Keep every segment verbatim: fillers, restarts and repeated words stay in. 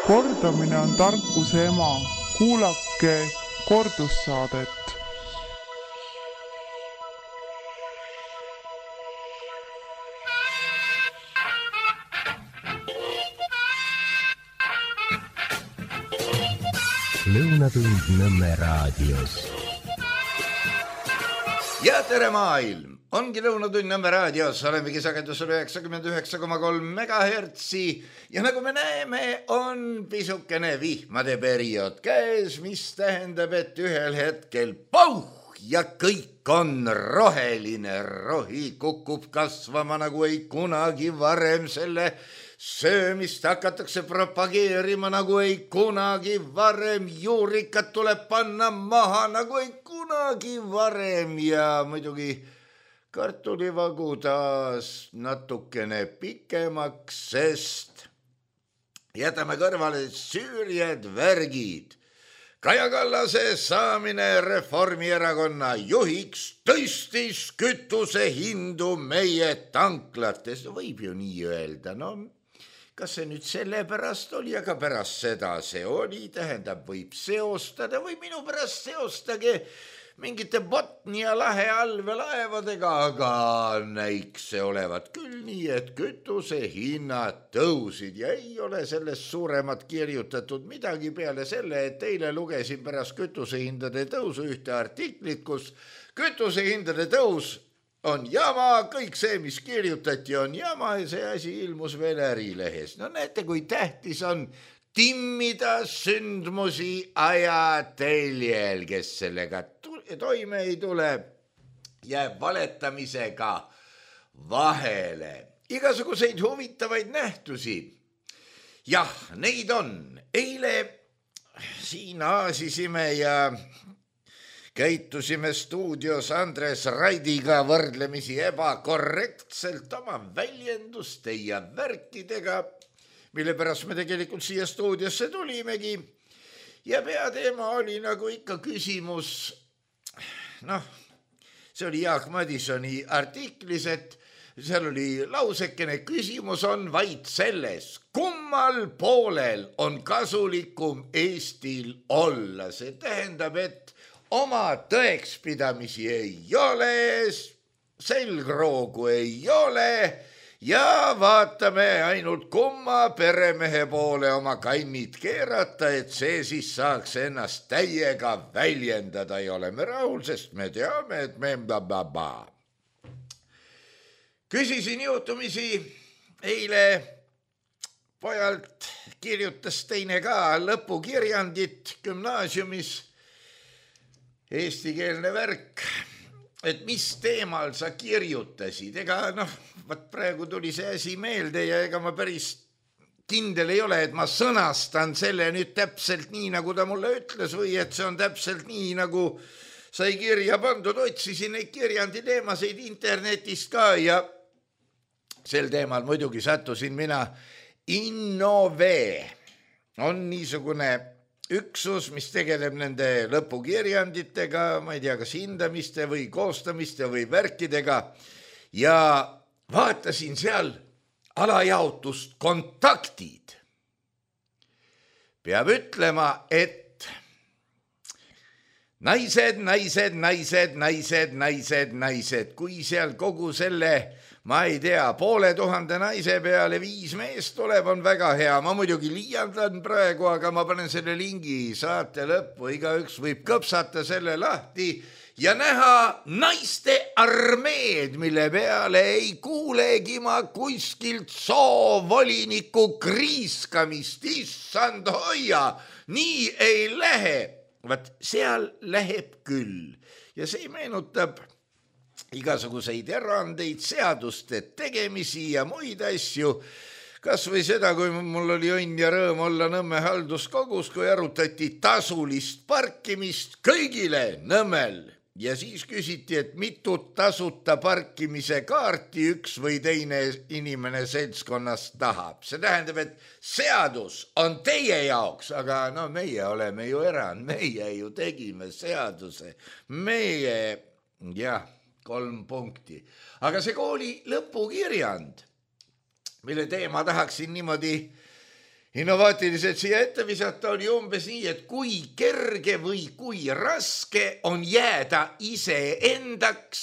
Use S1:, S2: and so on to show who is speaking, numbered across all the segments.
S1: Kordamine on tarkuse ema. Kuulake kordussaadet.
S2: Lõunatund Nõmme raadios.
S3: Ja tere maailm! Ongi Lõunatund Nõmme raadios, olemegi sagedusel üheksakümmend üheksa koma kolm megahertsi ja nagu me näeme, on pisukene vihmade periood käes, mis tähendab, et ühel hetkel pauh ja kõik on roheline. Rohi kukub kasvama nagu ei kunagi varem, selle söömist hakatakse propageerima nagu ei kunagi varem, juurikat tuleb panna maha nagu ei kunagi varem ja muidugi kartulivagu taas natukene pikemaks, sest jätame kõrvale süüriad värgid. Kaja Kallase saamine Reformierakonna juhiks tõstis kütuse hindu meie tanklates. Võib ju nii öelda, no kas see nüüd selle pärast oli, aga pärast seda see oli, tähendab, võib seostada või minu pärast seostage mingite Botnia lahe allveelaevadega, aga näiks see olevat küll nii, et kütuse hinnad tõusid ja ei ole sellest suuremat kirjutatud midagi peale selle, et eile lugesin pärast kütusehindade tõusu ühte artiklit, kus kütusehindade tõus on jama, kõik see, mis kirjutati, on jama ja see asi ilmus veel Ärilehes. No näete, kui tähtis on timmida sündmusi ajateljel, kes sellega toime ei tule, jääb valetamisega vahele. Igasuguseid huvitavaid nähtusi. Jah, neid on. Eile siin aasisime ja käitusime stuudios Andres Raidiga võrdlemisi ebakorrektselt oma väljenduste ja värkidega, mille pärast me tegelikult siia stuudiosse tulimegi. Ja peateema oli nagu ikka küsimus, noh, see oli Jaak Madisoni artiklis, et seal oli lausekene, küsimus on vaid selles, kummal poolel on kasulikum Eestil olla. See tähendab, et oma tõekspidamisi ei ole, selgroogu ei ole ja vaatame ainult kumma peremehe poole oma kannid keerata, et see siis saaks ennast täiega väljendada ja oleme rahul, sest me teame, et me ba-ba-ba. Küsisin juhtumisi eile pojalt, kirjutas teine ka lõpukirjandit gümnaasiumis, eestikeelne värk, et mis teemal sa kirjutasid. Ega noh, vaat praegu tuli see asi meelde ja ega ma päris kindel ei ole, et ma sõnastan selle nüüd täpselt nii, nagu ta mulle ütles või et see on täpselt nii, nagu sai kirja pandud. Otsisin neid kirjandi teemaseid internetist ka ja sel teemal muidugi sattusin mina. Innove on niisugune üksus, mis tegeleb nende lõpukirjanditega, ma ei tea, kas hindamiste või koostamiste või värkidega ja vaatasin seal alajaotust kontaktid. Peab ütlema, et naised, naised, naised, naised, naised, naised, kui seal kogu selle ma ei tea, poole tuhande naise peale viis meest tuleb, on väga hea. Ma muidugi liialdan praegu, aga ma panen selle lingi saate lõppu. Igaüks võib kõpsata selle lahti ja näha naiste armeed, mille peale ei kuulegi ma kuskilt soovoliniku kriiskamist. Issand hoia, nii ei lähe. Vaat seal läheb küll ja see meenutab igasuguseid erandeid, seaduste tegemisi ja muid asju. Kas või seda, kui mul oli õnn ja rõõm olla Nõmme halduskogus, kui arutati tasulist parkimist kõigile Nõmmel. Ja siis küsiti, et mitut tasuta parkimise kaarti üks või teine inimene seltskonnast tahab. See tähendab, et seadus on teie jaoks, aga no meie oleme ju erand, meie ju tegime seaduse. Meie, jah, kolm punkti. Aga see kooli lõpukirjand, mille teema tahaksin niimoodi innovaatiliselt siia ette visata oli umbes nii, et kui kerge või kui raske on jääda iseendaks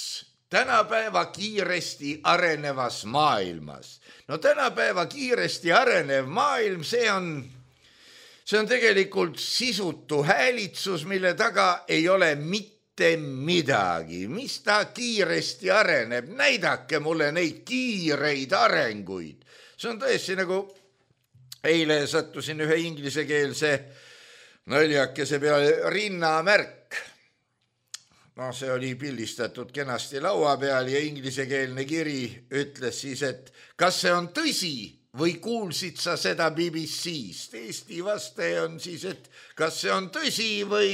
S3: tänapäeva kiiresti arenevas maailmas. No tänapäeva kiiresti arenev maailm, see on, see on tegelikult sisutu häälitsus, mille taga ei ole mitte midagi. Mis ta kiiresti areneb? Näidake mulle neid kiireid arenguid. See on tõesti nagu eile sattusin ühe inglisekeelse naljakese peale rinnamärk. No see oli pildistatud kenasti laua peal ja inglisekeelne kiri ütles siis, et kas see on tõsi või kuulsid sa seda B B C-st? Eesti vastaja on siis, et kas see on tõsi või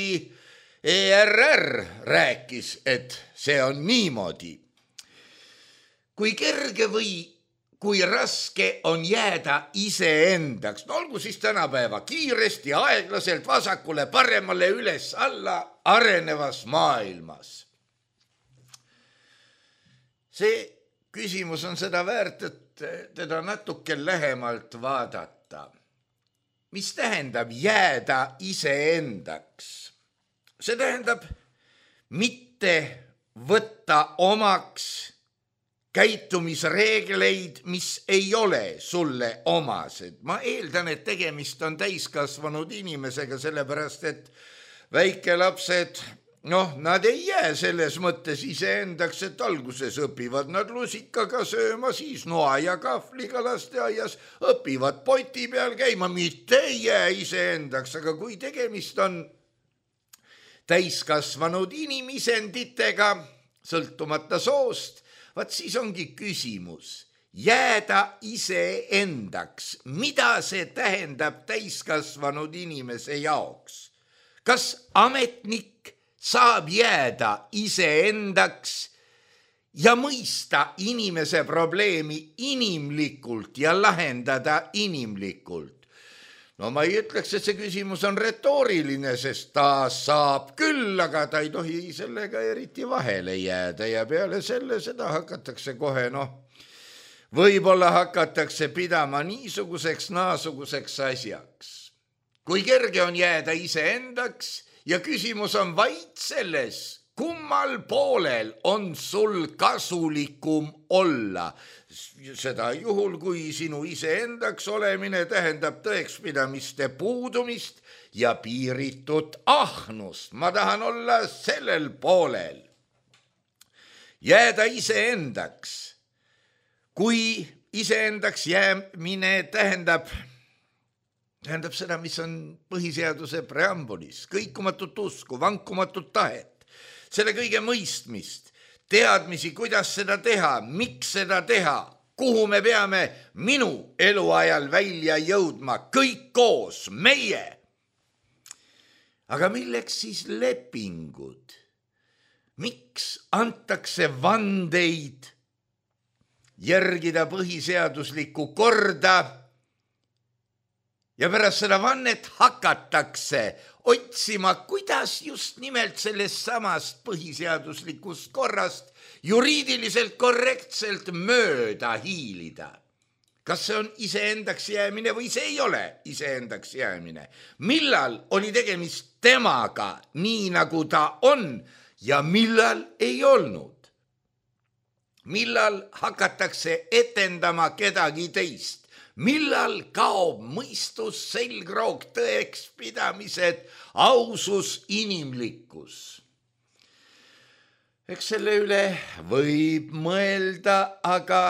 S3: E R R rääkis, et see on niimoodi. Kui kerge või kui raske on jääda iseendaks. No olgu siis tänapäeva kiiresti, aeglaselt, vasakule, paremale, üles, alla, arenevas maailmas. See küsimus on seda väärt, et teda natuke lähemalt vaadata. Mis tähendab jääda iseendaks? See tähendab mitte võtta omaks käitumisreegleid, mis ei ole sulle omased. Ma eeldan, et tegemist on täiskasvanud inimesega, sellepärast, et väikelapsed, noh, nad ei jää selles mõttes iseendaks, et alguses õpivad nad lusikaga sööma, siis noa ja kahvliga lasteaias, õpivad poti peal käima, mitte ei jää iseendaks, aga kui tegemist on täiskasvanud inimisenditega, sõltumata soost, vaat siis ongi küsimus, jääda iseendaks. Mida see tähendab täiskasvanud inimese jaoks? Kas ametnik saab jääda iseendaks ja mõista inimese probleemi inimlikult ja lahendada inimlikult? No ma ei ütleks, et see küsimus on retooriline, sest ta saab küll, aga ta ei tohi sellega eriti vahele jääda ja peale selle seda hakatakse kohe, noh, võib-olla hakatakse pidama niisuguseks naasuguseks asjaks. Kui kerge on jääda iseendaks ja küsimus on vaid selles, kummal poolel on sul kasulikum olla. Seda juhul, kui sinu iseendaks olemine tähendab tõekspidamiste puudumist ja piiritut ahnust. Ma tahan olla sellel poolel. Jääda iseendaks. Kui iseendaks jäämine tähendab, tähendab seda, mis on põhiseaduse preambulis, kõikumatut usku, vankumatut tahet, selle kõige mõistmist, teadmisi, kuidas seda teha, miks seda teha, kuhu me peame minu eluajal välja jõudma, kõik koos, meie. Aga milleks siis lepingud? Miks antakse vandeid järgida põhiseaduslikku korda ja pärast seda vannet hakatakse otsima, kuidas just nimelt sellest samast põhiseaduslikust korrast juriidiliselt korrektselt mööda hiilida. Kas see on iseendaks jäämine või see ei ole iseendaks jäämine? Millal oli tegemist temaga nii, nagu ta on ja millal ei olnud? Millal hakatakse etendama kedagi teist? Millal kaob mõistus, selgroog, tõekspidamised, ausus, inimlikkus? Eks selle üle võib mõelda, aga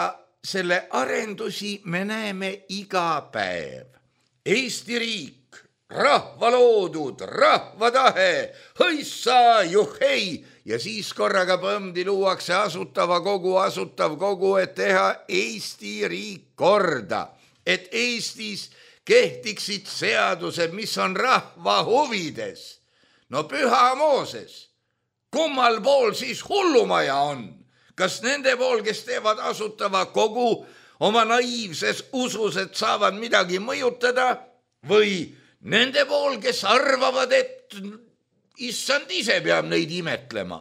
S3: selle arendusi me näeme iga päev. Eesti riik, rahva loodud, rahva tahe, hõissa, juhhei, ja siis korraga põmdi luuakse asutava kogu, asutav kogu, et teha Eesti riik korda. Et Eestis kehtiksid seadused, mis on rahva huvides. No püha Mooses, kummal pool siis hullumaja on? Kas nende pool, kes teevad asutava kogu oma naiivses usus, et saavad midagi mõjutada, või nende pool, kes arvavad, et issand ise peab neid imetlema?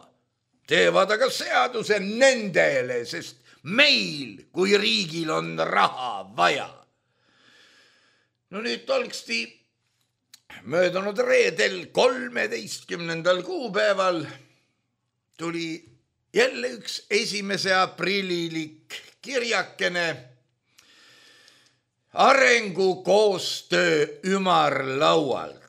S3: Teevad aga seaduse nendele, sest meil kui riigil on raha vaja. no nüüd tolksti möödunud reedel kolmeteistkümnendal kuupäeval tuli jälle üks esimese aprililik kirjakene arengukoostöö ümarlaualt.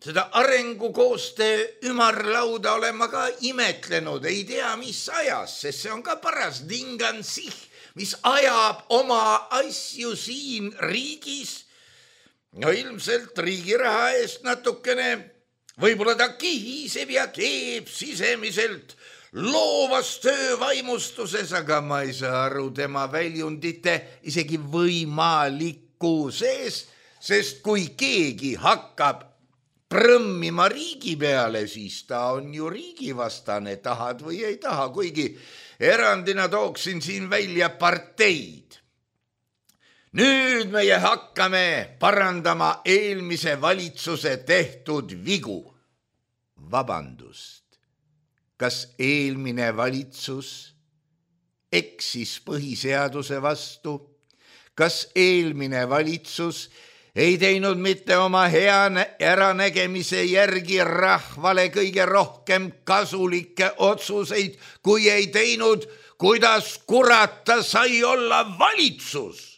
S3: Seda arengukoostöö ümarlauda olen ma ka imetlenud, ei tea mis ajas, sest see on ka paras dingansih, mis ajab oma asju siin riigis. No ilmselt riigiraha eest natukene, võib-olla ta kihiseb ja keeb sisemiselt loovas töövaimustuses, aga ma ei saa aru tema väljundite isegi võimalikkuses, sest kui keegi hakkab prõmmima riigi peale, siis ta on ju riigivastane, tahad või ei taha, kuigi erandina tooksin siin välja parteid. Nüüd meie hakkame parandama eelmise valitsuse tehtud vigu. Vabandust, kas eelmine valitsus eksis põhiseaduse vastu? Kas eelmine valitsus ei teinud mitte oma hea äranägemise järgi rahvale kõige rohkem kasulikke otsuseid, kui ei teinud, kuidas kurata sai olla valitsus?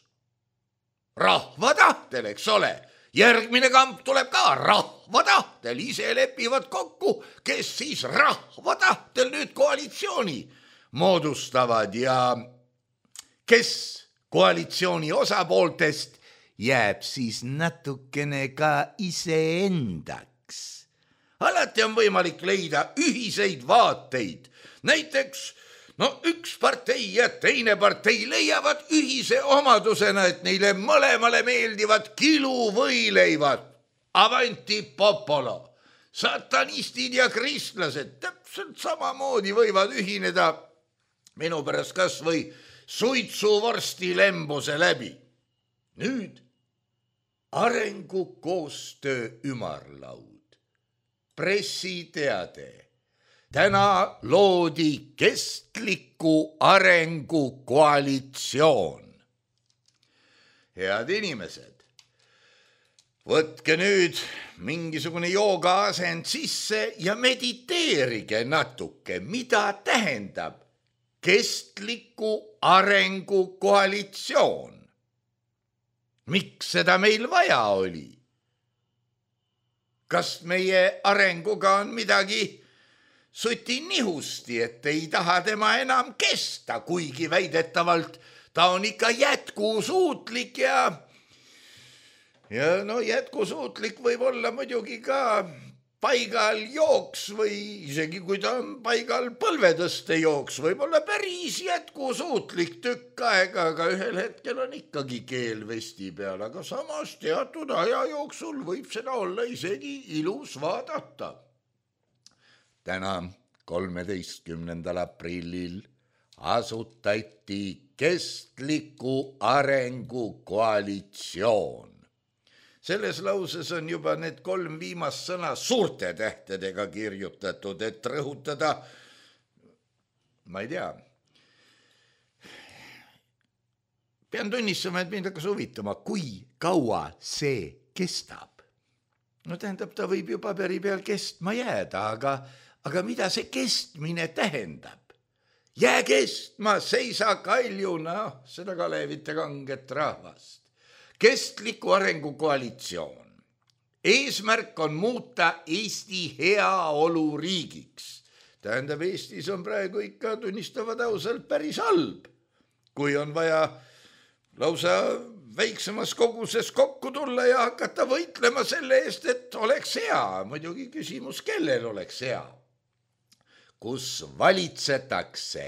S3: Rahva tahtel, eks ole. Järgmine kamp tuleb ka rahva tahtel, ise lepivad kokku, kes siis rahva tahtel nüüd koalitsiooni moodustavad ja kes koalitsiooni osapooltest jääb siis natukene ka iseendaks. Alati on võimalik leida ühiseid vaateid. Näiteks, no üks partei ja teine partei leiavad ühise omadusena, et neile mõlemale meeldivad kiluvõileivad. Avanti popolo. Satanistid ja kristlased täpselt samamoodi võivad ühineda minu pärast kas või suitsuvorsti lembuse läbi. Nüüd arengukoostöö ümarlaud, pressiteade. Täna loodi kestliku arengu koalitsioon. Head inimesed, võtke nüüd mingisugune joogaasend sisse ja mediteerige natuke, mida tähendab kestliku arengu koalitsioon. Miks seda meil vaja oli? Kas meie arenguga on midagi suti nihusti, et ei taha tema enam kesta, kuigi väidetavalt ta on ikka jätkusuutlik ja ja no jätkusuutlik võib olla muidugi ka paigal jooks või isegi kui ta on paigal põlvetõste jooks, võib olla päris jätkusuutlik tükk aega, aga ühel hetkel on ikkagi keel vesti peal, aga samas teatud aja jooksul võib seda olla isegi ilus vaadata. Täna kolmeteistkümnendal aprillil asutati kestliku arengu koalitsioon. Selles lauses on juba need kolm viimast sõna suurte tähtedega kirjutatud, et rõhutada, ma ei tea. Pean tunnistama, et mind hakkas huvitama, kui kaua see kestab. No tähendab, ta võib ju paberi peal kestma jääda, aga, aga mida see kestmine tähendab? Jää kestma, seisa kaljuna, seda Kalevite kanget rahvast. Kestliku arengu koalitsioon. Eesmärk on muuta Eesti heaolu riigiks. Tähendab, Eestis on praegu ikka tunnistavad ausalt päris halb. Kui on vaja lausa väiksemas koguses kokku tulla ja hakata võitlema selle eest, et oleks hea. Muidugi küsimus, kellel oleks hea. Kus valitsetakse,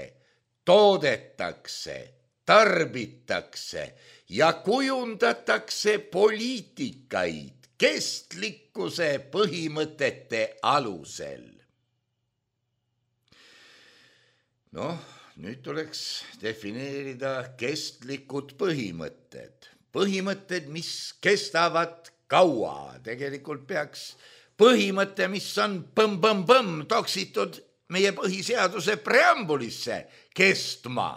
S3: toodetakse, tarbitakse ja kujundatakse poliitikaid kestlikkuse põhimõtete alusel. Noh, nüüd tuleks defineerida kestlikud põhimõtted. Põhimõtted, mis kestavad kaua. Tegelikult peaks põhimõte, mis on põmm-põmm-põmm toksitud meie põhiseaduse preambulisse kestma.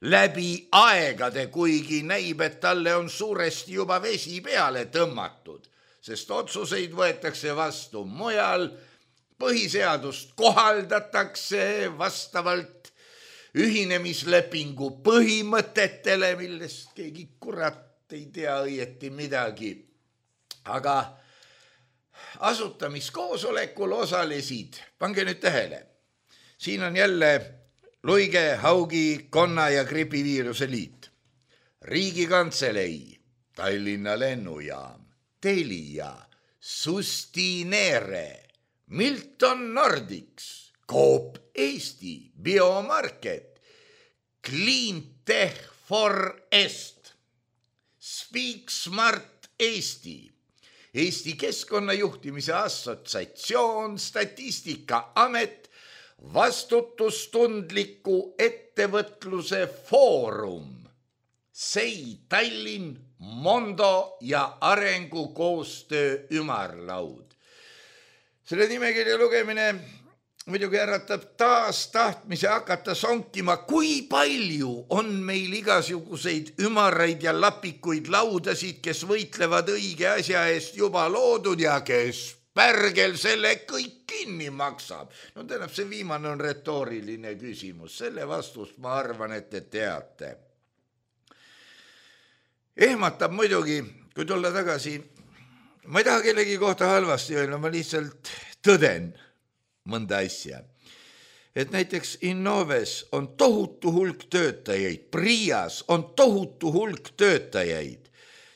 S3: läbi aegade, kuigi näib, et talle on suuresti juba vesi peale tõmmatud, sest otsuseid võetakse vastu mujal, põhiseadust kohaldatakse vastavalt ühinemislepingu põhimõtetele, millest keegi kurat ei tea õieti midagi. Aga asutamiskoosolekul osalesid, pange nüüd tähele, siin on jälle Luige, Haugi, Konna ja gripiviiruse liit, Riigikantselei, Tallinna lennujaam, Telia, Sustinere, Milton Nordics, Coop Eesti, Biomarket, Cleantech for Est, Speak Smart Eesti, Eesti Keskkonnajuhtimise Assotsiatsioon, Statistikaamet, Vastutustundliku ettevõtluse foorum, Sei Tallinn, Mondo ja arengukoostöö ümarlaud. Selle nimekirja lugemine muidugi äratab taas tahtmise hakata sonkima, kui palju on meil igasuguseid ümaraid ja lapikuid laudasid, kes võitlevad õige asja eest juba loodud ja kes pärgel selle kõik kinni maksab. No tähendab, see viimane on retooriline küsimus. Selle vastust ma arvan, et te teate. Ehmatab muidugi, kui tulla tagasi, ma ei taha kellegi kohta halvasti öelda, ma lihtsalt tõden mõnda asja. Et näiteks Innoves on tohutu hulk töötajaid, Prias on tohutu hulk töötajaid.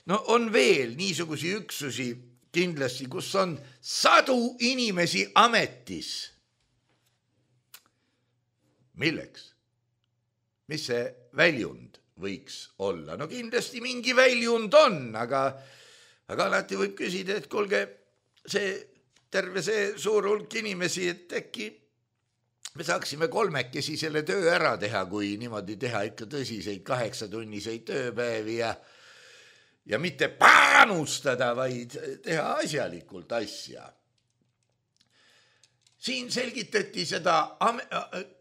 S3: No on veel niisugusi üksusi kindlasti, kus on sadu inimesi ametis. Milleks? Mis see väljund võiks olla? No kindlasti mingi väljund on, aga, aga alati võib küsida, et kuulge, see terve see suur hulk inimesi, et äkki me saaksime kolmekesi selle töö ära teha, kui niimoodi teha ikka tõsiseid kaheksatunniseid tööpäevi ja, ja mitte panustada, vaid teha asjalikult asja. Siin selgitati seda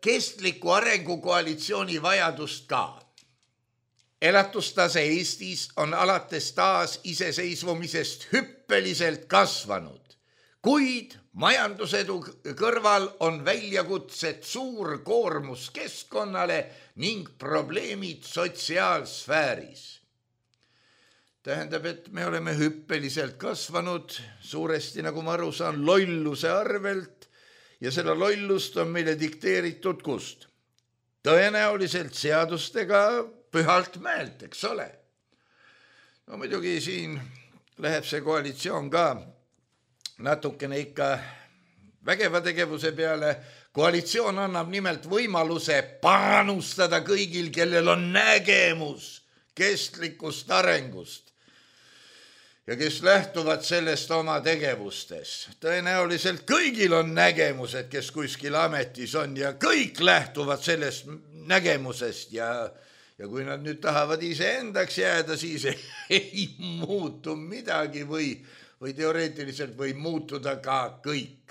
S3: kestliku arengukoalitsiooni vajadust ka. Elatustase Eestis on alates taas iseseisvumisest hüppeliselt kasvanud. Kuid majandusedu kõrval on väljakutsed suur koormus keskkonnale ning probleemid sotsiaalsfääris. Tähendab, et me oleme hüppeliselt kasvanud, suuresti, nagu ma aru saan, lolluse arvelt ja selle lollust on meile dikteeritud kust? Tõenäoliselt seadustega pühalt mäelt, eks ole. No muidugi siin läheb see koalitsioon ka natukene ikka vägeva tegevuse peale. Koalitsioon annab nimelt võimaluse panustada kõigil, kellel on nägemus kestlikust arengust ja kes lähtuvad sellest oma tegevustes. Tõenäoliselt kõigil on nägemused, kes kuskil ametis on ja kõik lähtuvad sellest nägemusest ja, ja kui nad nüüd tahavad iseendaks jääda, siis ei muutu midagi või või teoreetiliselt võib muutuda ka kõik.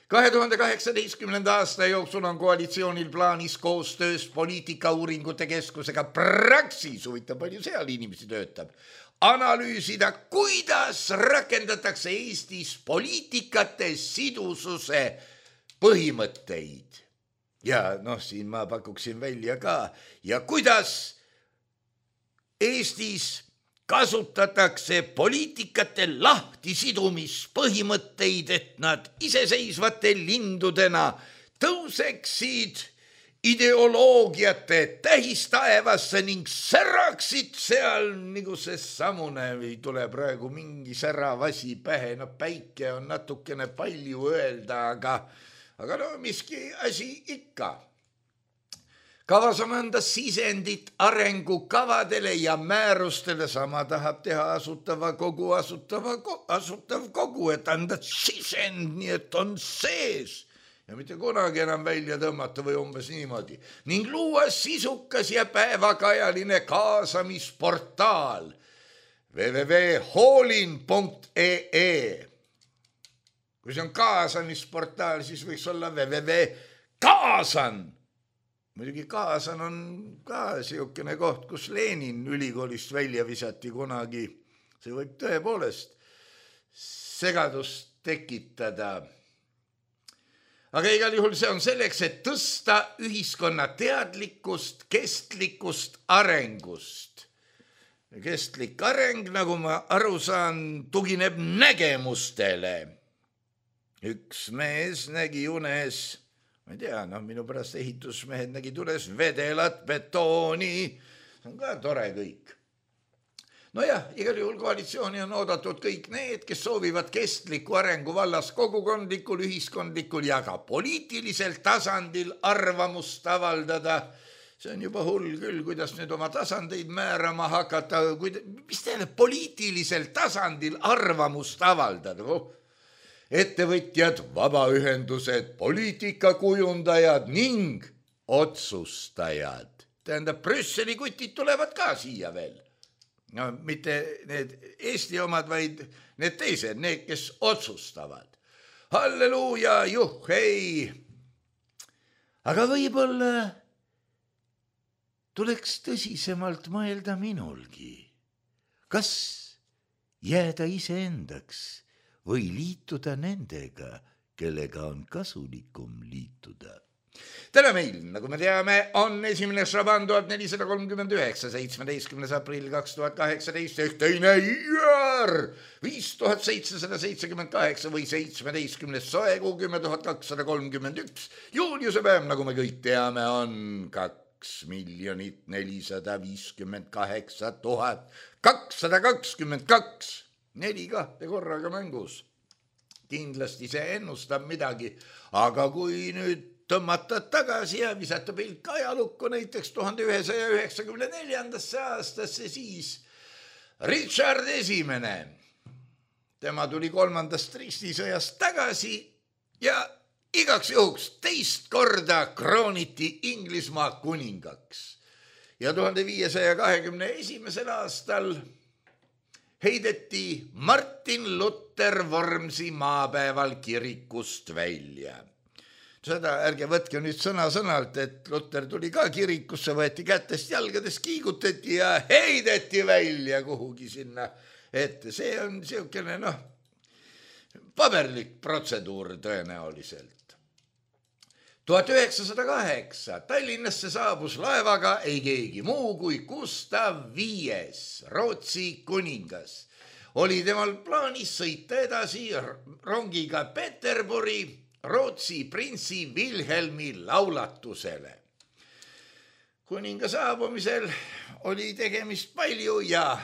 S3: kahe tuhande kaheksateistkümnenda aasta jooksul on koalitsioonil plaanis koostöös poliitikauuringute keskusega Praxis, huvitav palju seal inimesi töötab, analüüsida, kuidas rakendatakse Eestis poliitikate sidususe põhimõtteid. Ja noh, siin ma pakuksin välja ka. Ja kuidas Eestis kasutatakse poliitikate lahtisidumispõhimõtteid, et nad iseseisvate lindudena tõuseksid ideoloogiate tähistaevasse ning säraksid seal, nagu see samune ei tule praegu mingi säravasi pähe. No päike on natukene palju öelda, aga, aga no miski asi ikka. Kavas on anda sisendit arengukavadele ja määrustele, sama tahab teha asutava kogu, asutava, asutav kogu, et anda sisend, nii et on sees ja mitte kunagi enam välja tõmmata või umbes niimoodi. Ning luua sisukas ja päevakajaline kaasamisportaal w w w punkt hoolin punkt e e. Kui see on kaasamisportaal, siis võiks olla w w w punkt kaasan muidugi Kaasan on ka siukene koht, kus Lenin ülikoolist välja visati kunagi. See võib tõepoolest segadust tekitada. Aga igal juhul see on selleks, et tõsta ühiskonna teadlikkust, kestlikust arengust. Kestlik areng, nagu ma aru saan, tugineb nägemustele. Üks mees nägi unes, ma ei tea, noh, minu pärast ehitusmehed nägid unes vedelat, betooni, see on ka tore kõik. No jah, igal juhul koalitsiooni on oodatud kõik need, kes soovivad kestliku arengu vallas kogukondlikul, ühiskondlikul ja ka poliitilisel tasandil arvamust avaldada. See on juba hull küll, kuidas nüüd oma tasandeid määrama hakata, mis teile poliitilisel tasandil arvamust avaldada? Ettevõtjad, vabaühendused, poliitikakujundajad ning otsustajad. Tähendab, Brüsseli kutid tulevad ka siia veel. No mitte need Eesti omad, vaid need teised, need, kes otsustavad. Halleluuja, juhhei! Aga võib-olla tuleks tõsisemalt mõelda minulgi. Kas jääda iseendaks või liituda nendega, kellega on kasulikum liituda? Täna meil, nagu me teame, on esimene Šaban tuhat nelisada kolmkümmend üheksa, seitsmeteistkümnes aprill kaks tuhat kaheksateist, ehk teine Iar viis tuhat seitsesada seitsekümmend kaheksa või seitsmeteistkümnes soekuu kümme tuhat kakssada kolmkümmend üks. Juuliuse päev, nagu me kõik teame, on kaks miljonit nelisada viiskümmend kaheksa tuhat kakssada kakskümmend kaks. Neli kahte korraga mängus. Kindlasti see ennustab midagi, aga kui nüüd tõmmata tagasi ja visata pilk ajalukku näiteks tuhande ühesaja üheksakümne neljandasse aastasse, siis Richard Esimene. Tema tuli kolmandast ristisõjast tagasi ja igaks juhuks teist korda krooniti Inglismaa kuningaks. Ja tuhande viiesaja kahekümne esimesel aastal heideti Martin Luther Vormsi maapäeval kirikust välja. Seda ärge võtke nüüd sõna-sõnalt, et Luther tuli ka kirikusse, võeti kätest jalgades, kiigutati ja heideti välja kuhugi sinna ette. See on siukene, noh, paberlik protseduur tõenäoliselt. tuhat üheksasada kaheksa Tallinnasse saabus laevaga ei keegi muu kui Gustav Viies, Rootsi kuningas. Oli temal plaanis sõita edasi rongiga Peterburi Rootsi printsi Wilhelmi laulatusele. Kuninga saabumisel oli tegemist palju ja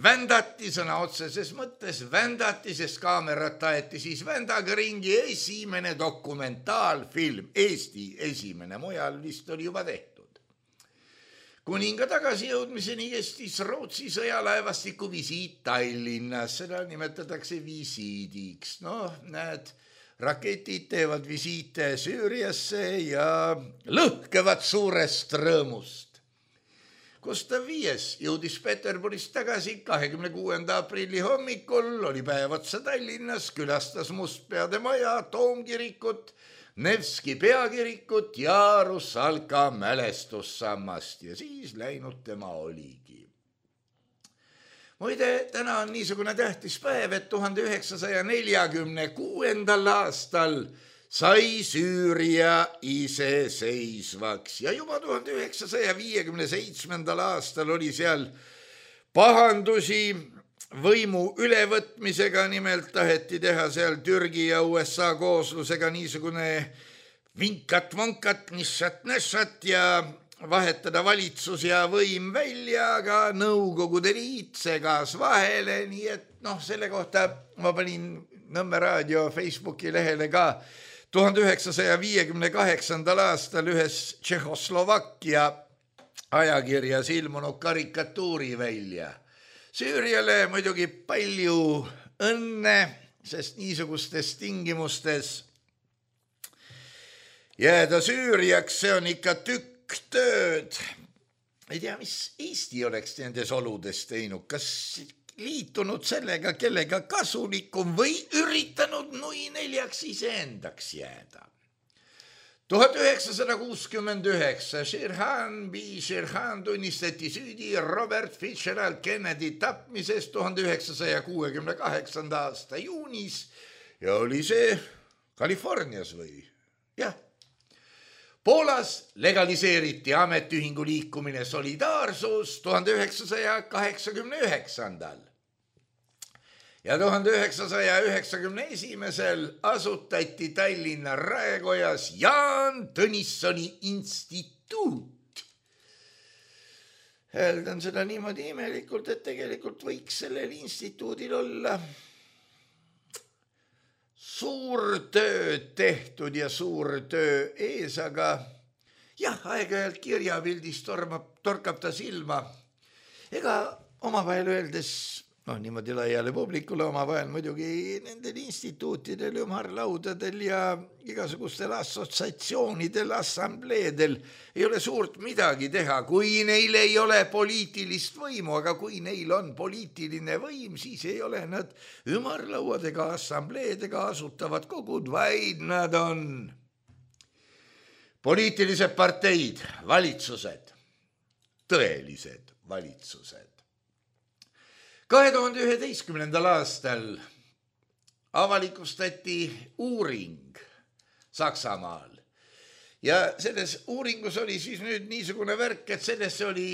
S3: vändati sõna otseses mõttes, vändati, sest kaamerat aeti siis vändaga ringi esimene dokumentaalfilm, Eesti esimene, mujal vist oli juba tehtud. Kuninga tagasijõudmiseni kestis Rootsi sõjalaevastiku visiit Tallinnas, seda nimetatakse visiidiks. Noh, näed, raketid teevad visiite Süüriasse ja lõhkevad suurest rõõmust. Gustav Viies jõudis Peterburist tagasi kahekümne kuuenda aprilli hommikul, oli päev otsa Tallinnas, külastas Mustpeade maja, Toomkirikut, Nevski peakirikut ja Russalka mälestussammast ja siis läinud tema oligi. Muide, täna on niisugune tähtis päev, et tuhande üheksasaja neljakümne kuuendal aastal sai Süüria iseseisvaks ja juba tuhande üheksasaja viiekümne seitsmendal aastal oli seal pahandusi võimu ülevõtmisega, nimelt taheti teha seal Türgi ja U S A kooslusega niisugune vinkat-vonkat, nissat-nässat ja vahetada valitsus ja võim välja, aga Nõukogude Liit segas vahele, nii et noh, selle kohta ma panin Nõmme raadio Facebooki lehele ka tuhande üheksasaja viiekümne kaheksandal aastal ühes Tšehhoslovakkia ajakirjas ilmunud karikatuuri välja. Süüriale muidugi palju õnne, sest niisugustes tingimustes jääda Süüriaks, see on ikka tükk tööd. Ei tea, mis Eesti oleks nendes oludes teinud, kas liitunud sellega, kellega kasulikum või üritanud nui neljaks iseendaks jääda. tuhat üheksasada kuuskümmend üheksa Sirhan B. Sirhan tunnistati süüdi Robert Fitzgerald Kennedy tapmises tuhande üheksasaja kuuekümne kaheksanda aasta juunis ja oli see Kalifornias või? Jah. Poolas legaliseeriti ametiühingu liikumine Solidaarsus tuhande üheksasaja kaheksakümne üheksandal. Ja tuhande üheksasaja üheksakümne esimesel asutati Tallinna Raekojas Jaan Tõnissoni instituut. Hääldan seda niimoodi imelikult, et tegelikult võiks sellel instituudil olla suur töö tehtud ja suur töö ees, aga jah, aeg-ajalt kirjapildis tormab, torkab ta silma. Ega omavahel öeldes, noh niimoodi laiale publikule omavahel muidugi nendel instituutidel, ümarlaudadel ja igasugustel assotsiatsioonidel, assambleedel ei ole suurt midagi teha, kui neil ei ole poliitilist võimu, aga kui neil on poliitiline võim, siis ei ole nad ümarlauadega, assambleedega asutavad kogud, vaid nad on poliitilised parteid, valitsused, tõelised valitsused. kahe tuhande üheteistkümnendal aastal avalikustati uuring Saksamaal ja selles uuringus oli siis nüüd niisugune värk, et sellesse oli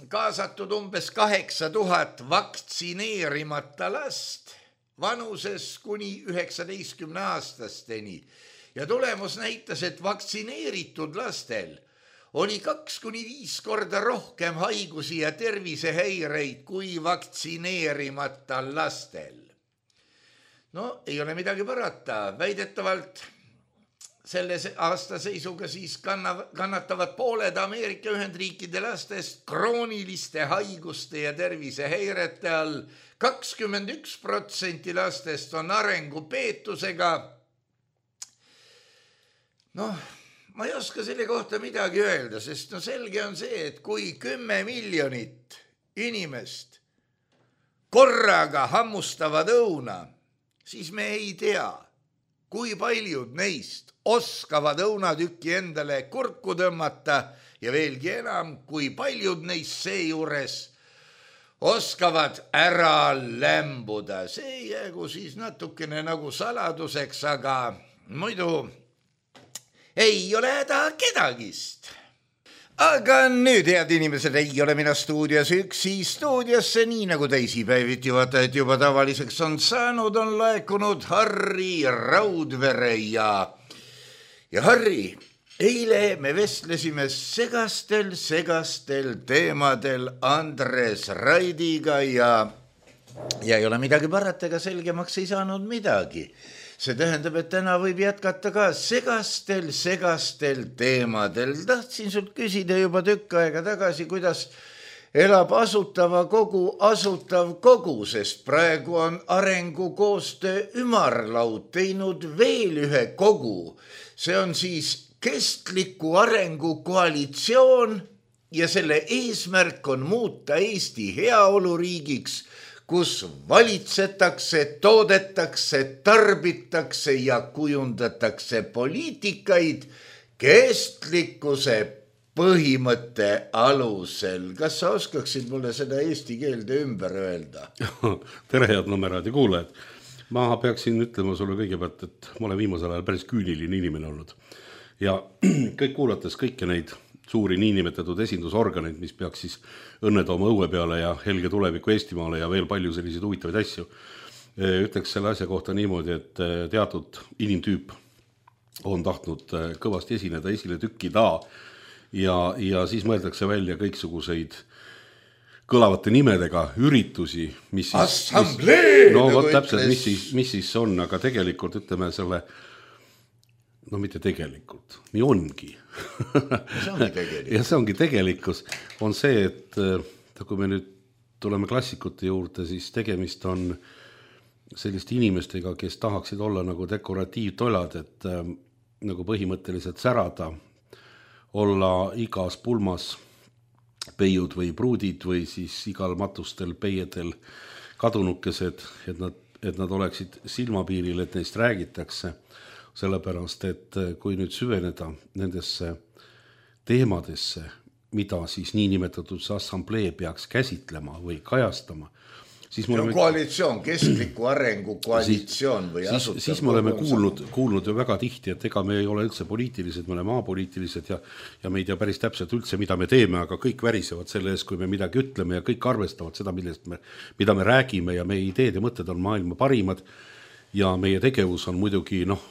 S3: kaasatud umbes kaheksa tuhat vaktsineerimata last vanuses kuni üheksateistkümne aastasteni ja tulemus näitas, et vaktsineeritud lastel oli kaks kuni viis korda rohkem haigusi ja tervisehäireid kui vaktsineerimata lastel. No ei ole midagi parata, väidetavalt selle aasta seisuga siis kannatavad pooled Ameerika Ühendriikide lastest krooniliste haiguste ja tervisehäirete all, kakskümmend üks protsenti lastest on arengupeetusega. Noh, ma ei oska selle kohta midagi öelda, sest no selge on see, et kui kümme miljonit inimest korraga hammustavad õuna, siis me ei tea, kui paljud neist oskavad õunatükki endale kurku tõmmata ja veelgi enam, kui paljud neist seejuures oskavad ära lämbuda. See jäägu siis natukene nagu saladuseks, aga muidu ei ole häda kedagist. Aga nüüd, head inimesed, ei ole mina stuudios üksi. Stuudiosse, nii nagu teisipäeviti vaatajad juba tavaliseks on saanud, on laekunud Harri Raudvere ja, ja Harri, eile me vestlesime segastel, segastel teemadel Andres Raidiga ja, ja ei ole midagi parata, ega selgemaks ei saanud midagi. See tähendab, et täna võib jätkata ka segastel, segastel teemadel. Tahtsin sult küsida juba tükk aega tagasi, kuidas elab asutava kogu asutav kogu, sest praegu on arengukoostöö ümarlaud teinud veel ühe kogu. See on siis kestliku arengu koalitsioon ja selle eesmärk on muuta Eesti heaoluriigiks, kus valitsetakse, toodetakse, tarbitakse ja kujundatakse poliitikaid kestlikkuse põhimõtte alusel. Kas sa oskaksid mulle seda eesti keelde ümber öelda?
S4: Tere, head Nõmmeraadi kuulajad. Ma peaksin ütlema sulle kõigepealt, et ma olen viimasel ajal päris küüniline inimene olnud. Ja kõik kuulates kõike neid suuri niinimetatud esindusorganeid, mis peaks siis õnne tooma õue peale ja helge tuleviku Eestimaale ja veel palju selliseid huvitavaid asju. Ütleks selle asja kohta niimoodi, et teatud inimtüüp on tahtnud kõvasti esineda, esile tükkida ja, ja siis mõeldakse välja kõiksuguseid kõlavate nimedega üritusi, mis siis...
S3: Assamblee!
S4: No vot täpselt, mis siis, mis siis on, aga tegelikult ütleme selle... No mitte tegelikult, nii ongi.
S3: See ongi tegelikkus.
S4: Ja see ongi tegelikkus. On see, et kui me nüüd tuleme klassikute juurde, siis tegemist on selliste inimestega, kes tahaksid olla nagu dekoratiivtolad, et nagu põhimõtteliselt särada, olla igas pulmas peiud või pruudid või siis igal matustel peiedel kadunukesed, et nad, et nad oleksid silmapiiril, et neist räägitakse. sellepärast, et kui nüüd süveneda nendesse teemadesse, mida siis niinimetatud see assamblee peaks käsitlema või kajastama, siis me oleme...
S3: koalitsioon, kestliku arengu koalitsioon või
S4: siis,
S3: asutav.
S4: Siis me oleme kuulnud, kuulnud ju väga tihti, et ega me ei ole üldse poliitilised, me oleme maapoliitilised ja, ja me ei tea päris täpselt üldse, mida me teeme, aga kõik värisevad selle ees, kui me midagi ütleme ja kõik arvestavad seda, millest me, mida me räägime ja meie ideed ja mõtted on maailma parimad ja meie tegevus on muidugi, noh,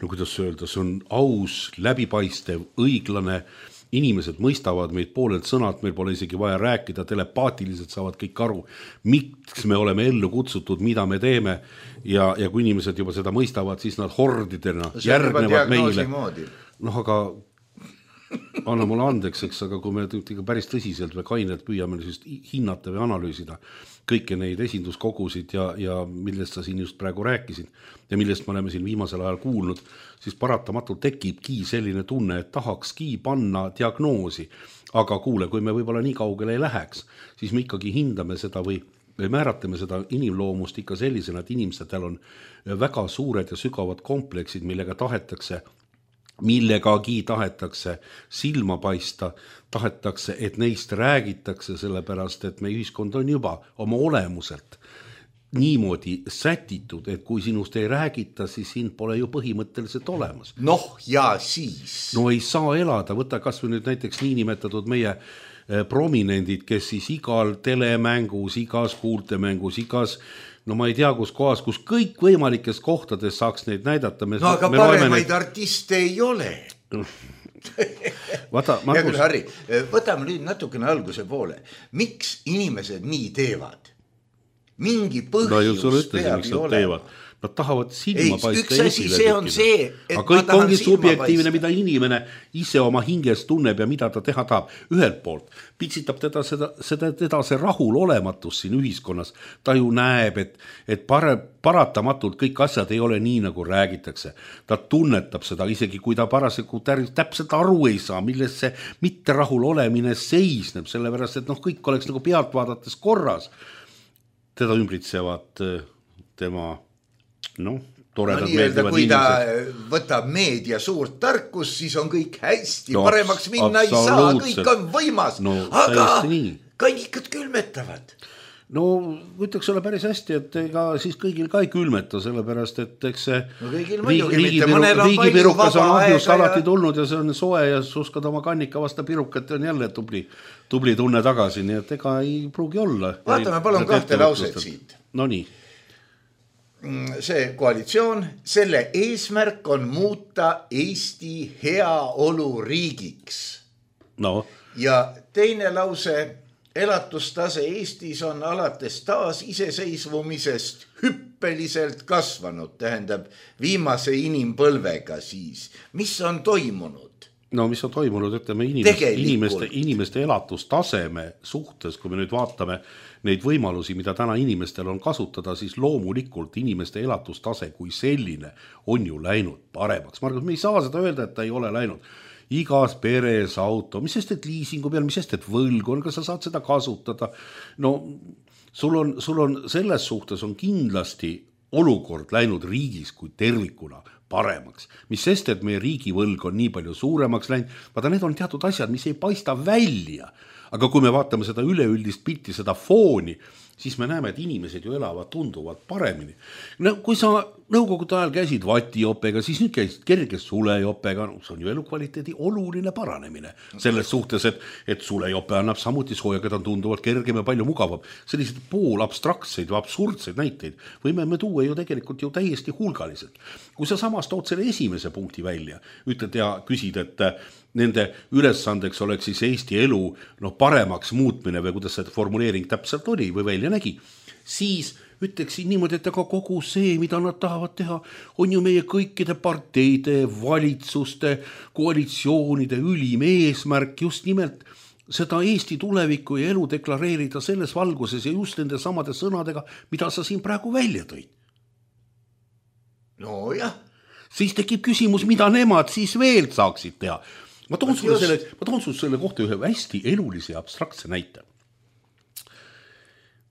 S4: no kuidas öelda, see on aus, läbipaistev, õiglane, inimesed mõistavad meid poolelt sõnad, meil pole isegi vaja rääkida, telepaatiliselt saavad kõik aru, miks me oleme ellu kutsutud, mida me teeme ja, ja kui inimesed juba seda mõistavad, siis nad hordidena see järgnevad meile. Noh, aga anna mulle andeks, eks, aga kui me päris tõsiselt või kainelt püüame siis hinnata või analüüsida kõiki neid esinduskogusid ja, ja millest sa siin just praegu rääkisid ja millest me oleme siin viimasel ajal kuulnud, siis paratamatult tekibki selline tunne, et tahakski panna diagnoosi. Aga kuule, kui me võib-olla nii kaugele ei läheks, siis me ikkagi hindame seda või, või määratame seda inimloomust ikka sellisena, et inimestel on väga suured ja sügavad kompleksid, millega tahetakse millegagi tahetakse silma paista, tahetakse, et neist räägitakse, sellepärast, et meie ühiskond on juba oma olemuselt niimoodi sätitud, et kui sinust ei räägita, siis sind pole ju põhimõtteliselt olemas.
S3: Noh, ja siis.
S4: No ei saa elada, võta kas või nüüd näiteks niinimetatud meie prominendid, kes siis igal telemängus, igas kuultemängus, igas no ma ei tea, kus kohas, kus kõik võimalikes kohtades saaks neid näidata. Me,
S3: no aga
S4: me
S3: paremaid
S4: neid...
S3: artiste ei ole.
S4: Vaata, Markus...
S3: Hea küll, Harri, võtame nüüd natukene alguse poole. Miks inimesed nii teevad? Mingi põhjus
S4: no, peab ju olema. Nad tahavad silma
S3: ei,
S4: paista
S3: üks asi, see on see, et
S4: aga kõik ongi subjektiivne, mida inimene ise oma hinges tunneb ja mida ta teha tahab. Ühelt poolt pitsitab teda, seda, seda, teda see rahul olematus siin ühiskonnas. Ta ju näeb, et, et pare, paratamatult kõik asjad ei ole nii, nagu räägitakse. Ta tunnetab seda, isegi kui ta parasjagu täpselt aru ei saa, milles see mitte rahul olemine seisneb, sellepärast, et noh, kõik oleks nagu pealt vaadates korras. Teda ümbritsevad tema noh, toredad
S3: no, meeldivad kui inimesed. Kui ta võtab meedia suurt tarkus, siis on kõik hästi, no, paremaks minna ei saa, kõik on võimas, no, aga kannikad külmetavad.
S4: No ütleks ole päris hästi, et ega siis kõigil ka ei külmeta, sellepärast, et eks see
S3: no, riigipirukas
S4: on ahjust alati tulnud ja see on soe ja suskad oma kannika vasta pirukat ja on jälle tubli, tubli tunne tagasi, nii et ega ei pruugi olla.
S3: Vaatame palun kahte lauset siit.
S4: No nii.
S3: See koalitsioon, selle eesmärk on muuta Eesti heaolu riigiks.
S4: No.
S3: Ja teine lause, elatustase Eestis on alates taas iseseisvumisest hüppeliselt kasvanud, tähendab viimase inimpõlvega siis. Mis on toimunud?
S4: No mis on toimunud, ütleme inimeste, inimeste, inimeste elatustaseme suhtes, kui me nüüd vaatame neid võimalusi, mida täna inimestel on kasutada, siis loomulikult inimeste elatustase kui selline on ju läinud paremaks. Margus, me ei saa seda öelda, et ta ei ole läinud. Igas peres auto, mis sest, et liisingu peal, mis sest, et võlg on, kas sa saad seda kasutada? No sul on, sul on selles suhtes on kindlasti olukord läinud riigis kui tervikuna paremaks. Mis sest, et meie riigivõlg on nii palju suuremaks läinud, vaata need on teatud asjad, mis ei paista välja. Aga kui me vaatame seda üleüldist pilti, seda fooni, siis me näeme, et inimesed ju elavad tunduvalt paremini. No, kui sa nõukogude ajal käisid vatijopega, siis nüüd käisid kerges sulejopega, no, see on ju elukvaliteedi oluline paranemine. Selles suhtes, et, et sulejope annab samuti sooja, keda on tunduvalt kergem ja palju mugavam. Sellised pool abstraktseid või absurdseid näiteid võime me tuua ju tegelikult ju täiesti hulgaliselt. Kui sa samas tood selle esimese punkti välja, ütled ja küsid, et nende ülesandeks oleks siis Eesti elu no, paremaks muutmine või kuidas see formuleering täpselt oli või välja nägi, siis ütleksin niimoodi, et aga kogu see, mida nad tahavad teha, on ju meie kõikide parteide, valitsuste, koalitsioonide ülim eesmärk just nimelt seda Eesti tulevikku ja elu deklareerida selles valguses ja just nende samade sõnadega, mida sa siin praegu välja tõid.
S3: No jah.
S4: Siis tekib küsimus, mida nemad siis veel saaksid teha. Ma toon sulle selle, ma toon sulle selle kohta ühe hästi elulise ja abstraktse näite.